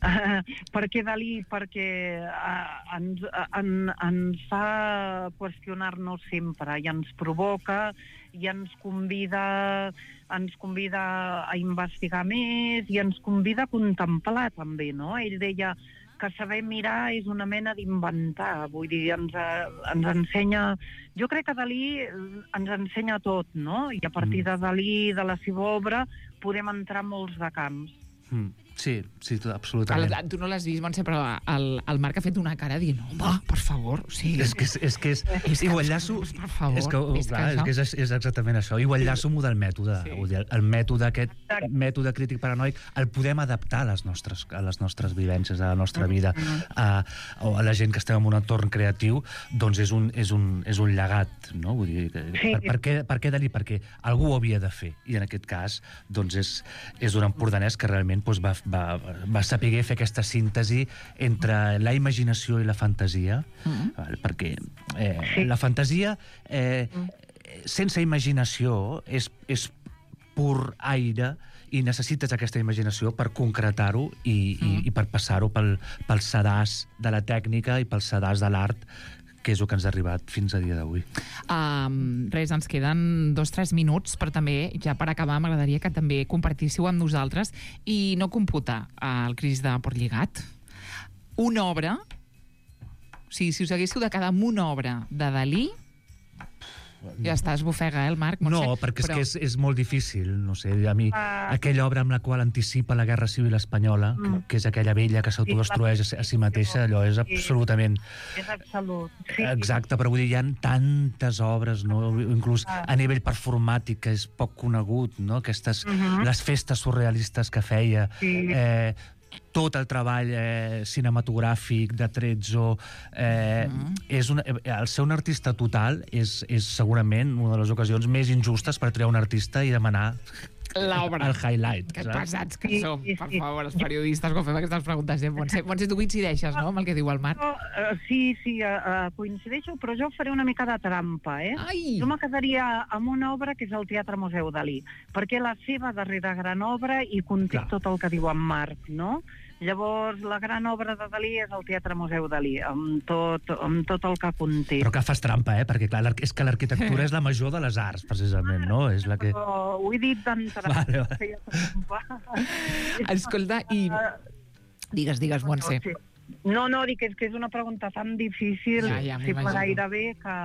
Uh, per què Dalí? Perquè uh, ens, uh, en, ens fa qüestionar-nos sempre i ens provoca i ens convida, ens convida a investigar més i ens convida a contemplar també, no? Ell deia que saber mirar és una mena d'inventar, vull dir, ens, ens ensenya... Jo crec que Dalí ens ensenya tot, no? I a partir de Dalí, de la seva obra, podem entrar en molts de camps. Mm. Sí, sí, absolutament. El, tu no l'has vist, Montse, però el, el Marc ha fet una cara dient, home, per favor, o sigui... És que és... és, que és, és i ho enllaço... Per favor, és que, és, clar, que és, que és, és exactament això. I ho enllaço amb el mètode. Sí. El, el mètode aquest, mètode crític paranoic, el podem adaptar a les nostres, a les nostres vivències, a la nostra vida, a, a la gent que estem en un entorn creatiu, doncs és un, és un, és un llegat, no? Vull dir, per, per, què, per què Dalí? Perquè algú ho havia de fer. I en aquest cas, doncs és, és un empordanès que realment doncs, va Va, va saber fer aquesta síntesi entre la imaginació i la fantasia, mm-hmm. val, perquè eh, sí. la fantasia eh, sense imaginació és, és pur aire i necessites aquesta imaginació per concretar-ho i, mm. i, i per passar-ho pel, pel sedàs de la tècnica i pel sedàs de l'art, que és el que ens ha arribat fins a dia d'avui. Um, res, ens queden dos o tres minuts, però també, ja per acabar, m'agradaria que també compartíssiu amb nosaltres i no computar el Cris de Portlligat. Una obra, o sigui, si us haguéssiu de quedar amb una obra de Dalí, ja està, es bofega, eh, el Marc? Montse, no, perquè però... és que és, és molt difícil, no sé, a mi, uh... aquella obra amb la qual anticipa la Guerra Civil Espanyola, mm. que és aquella vella que s'autodestrueix a si mateixa, allò és absolutament... És absolut. Sí. Exacte, però vull dir, hi ha tantes obres, no? Inclús uh... a nivell performàtic, que és poc conegut, no? Aquestes, uh-huh. les festes surrealistes que feia, sí. eh, tot el treball eh, cinematogràfic de Trezzo, eh, mm. és una, el ser un artista total és, és segurament una de les ocasions més injustes per triar un artista i demanar l'obra. El highlight. Que saps? pesats que Sí, som, sí, per sí. favor, els periodistes, quan fem aquestes preguntes. Eh? Montse, Montse, tu coincideixes, no?, amb el que diu el Marc. Jo, uh, sí, sí, uh, coincideixo, però jo faré una mica de trampa, eh? Ai! Jo me quedaria amb una obra que és el Teatre Museu Dalí, perquè la seva darrera gran obra i conté Clar. tot el que diu en Marc, no? Llavors, la gran obra de Dalí és el Teatre Museu Dalí, amb tot, amb tot el que conté. Però que fas trampa, eh? Perquè, clar, l'arqu- és que l'arquitectura és la major de les arts, precisament, no? És la que... Però ho he dit d'entrada. Vale, vale. Feia trampa. Escolta, i... Digues, digues, Montse. Sí. No, no, dic que és que és una pregunta tan difícil, Ja, ja, possible m'imagino. gairebé, que...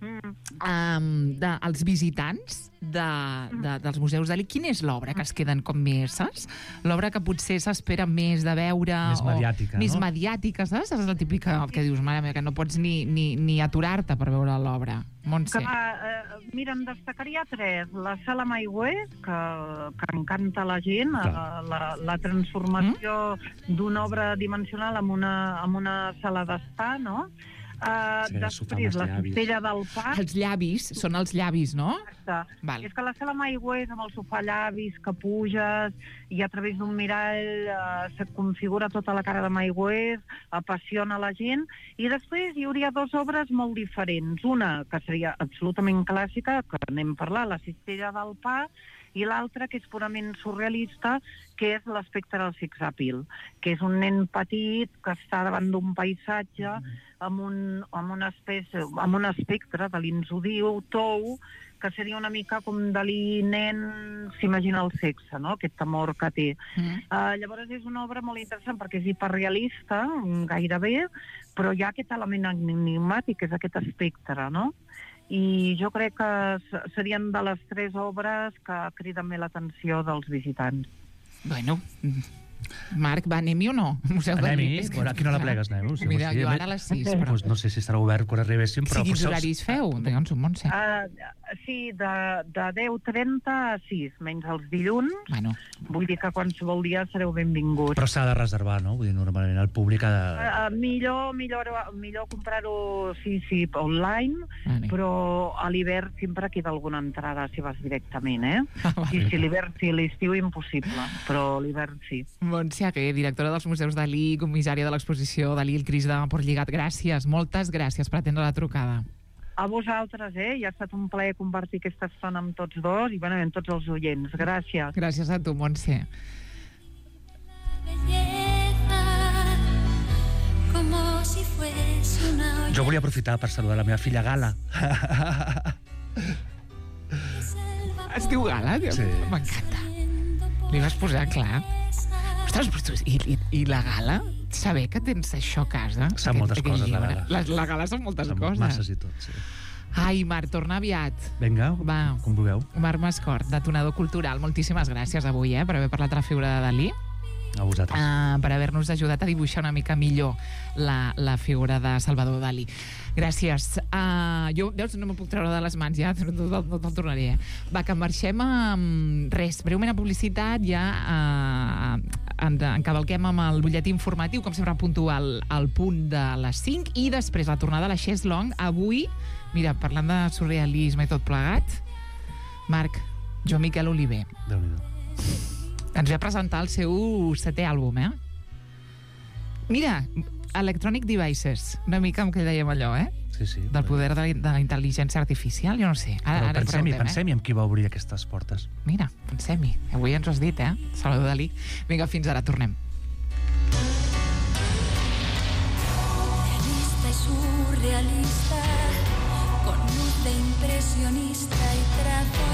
Mm. Um, de, els visitants de, de, dels museus Dalí, quina és l'obra que es queden com més, saps? L'obra que potser s'espera més de veure... Més mediàtica, o, Més no? mediàtica, saps? És la típica que dius, mare meva, que no pots ni, ni, ni aturar-te per veure l'obra. Montse. Que, eh, mira, em destacaria tres. La sala Maigües, que, que encanta la gent, eh, la, la transformació mm? d'una obra dimensional en una, en una sala d'estar, no? Uh, Sí, després, la llavis. cistella del pa. Els llavis, són els llavis, no? Exacte. Val. És que la sala Maigües, amb el sofà llavis, que puges, i a través d'un mirall uh, se't configura tota la cara de Maigües, apassiona la gent, i després hi hauria dues obres molt diferents. Una, que seria absolutament clàssica, que anem a parlar, la cistella del pa, i l'altra, que és purament surrealista, que és l'espectre del sex appeal, que és un nen petit que està davant d'un paisatge amb un, amb una espècie, amb un espectre de l'insodiu, tou, que seria una mica com Dalí nen s'imagina el sexe, no?, aquest amor que té. Mm. Uh, llavors és una obra molt interessant perquè és hiperrealista, gairebé, però hi ha aquest element enigmàtic, que és aquest espectre, no? I jo crec que serien de les tres obres que criden més l'atenció dels visitants. Bueno, Marc, va, anem-hi o no? Museu Dalí. Anem-hi? Bueno, aquí no la plegues, anem. Sí, Mira, sí, jo a ara a les sis, més- però... Pues no sé si estarà obert quan arribéssim, però... Sí, quins potser els- horaris feu? Digue'ns un, Montse. Uh, sí, de, de deu trenta a sis, menys els dilluns. Bueno, Vull dir que qualsevol dia sereu benvinguts. Però s'ha de reservar, no? Vull dir, normalment el públic ha de... Uh, millor, millor, millor comprar-ho, sí, sí, online, Vale. però a l'hivern sempre queda alguna entrada si vas directament, eh? Ah, vale. Sí, sí, l'hivern sí, l'estiu impossible, però l'hivern sí. Montse Aguer, directora dels Museus Dalí, comissària de l'exposició Dalí, el Cris de Portlligat. Gràcies, moltes gràcies per atendre la trucada. A vosaltres, eh? Ja ha estat un plaer compartir aquesta estona amb tots dos i, bueno, amb tots els oients. Gràcies. Gràcies a tu, Montse. Belleza, como si fuese una olla Jo volia aprofitar per saludar la meva filla Gala. de selva Es diu Gala? Sí. M'encanta. Li vas posar clar. Ostres, però tu, i, i, i la Gala? Saber que tens això a casa? Sap Aquest- moltes aquest coses, la llibre. Gala. La, la Gala són moltes Amb coses. masses i tot, sí. Ai, Marc, torna aviat. Vinga, Va. com vulgueu. Marc Mascort, detonador cultural. Moltíssimes gràcies avui, eh, per haver parlat de la figura de Dalí. A vosaltres. Uh, per haver-nos ajudat a dibuixar una mica millor la, la figura de Salvador Dalí. Gràcies. Uh, jo, veus, no me'n puc treure de les mans ja, no, no, no te'l tornaré. Eh? Va, que marxem amb res, breument a publicitat, ja uh, en, encavalquem amb el butlletí informatiu, com sempre puntual al punt de les cinc, i després la tornada a la Chess Long. Avui, mira, parlant de surrealisme i tot plegat, Marc, jo Miquel Oliver Déu-n'hi-do. ens ve a presentar el seu setè àlbum, eh? Mira, Electronic Devices, una mica amb què dèiem allò, eh? Sí, sí. Del poder de la, de la intel·ligència artificial, jo no sé. Ara, Però ara pensem-hi, preguntem, pensem-hi amb qui va obrir aquestes portes. eh? Mira, pensem-hi. Avui ens ho has dit, eh? Salvador Dalí. Vinga, fins ara, tornem. realista y surrealista, con luz de impresionista y trazo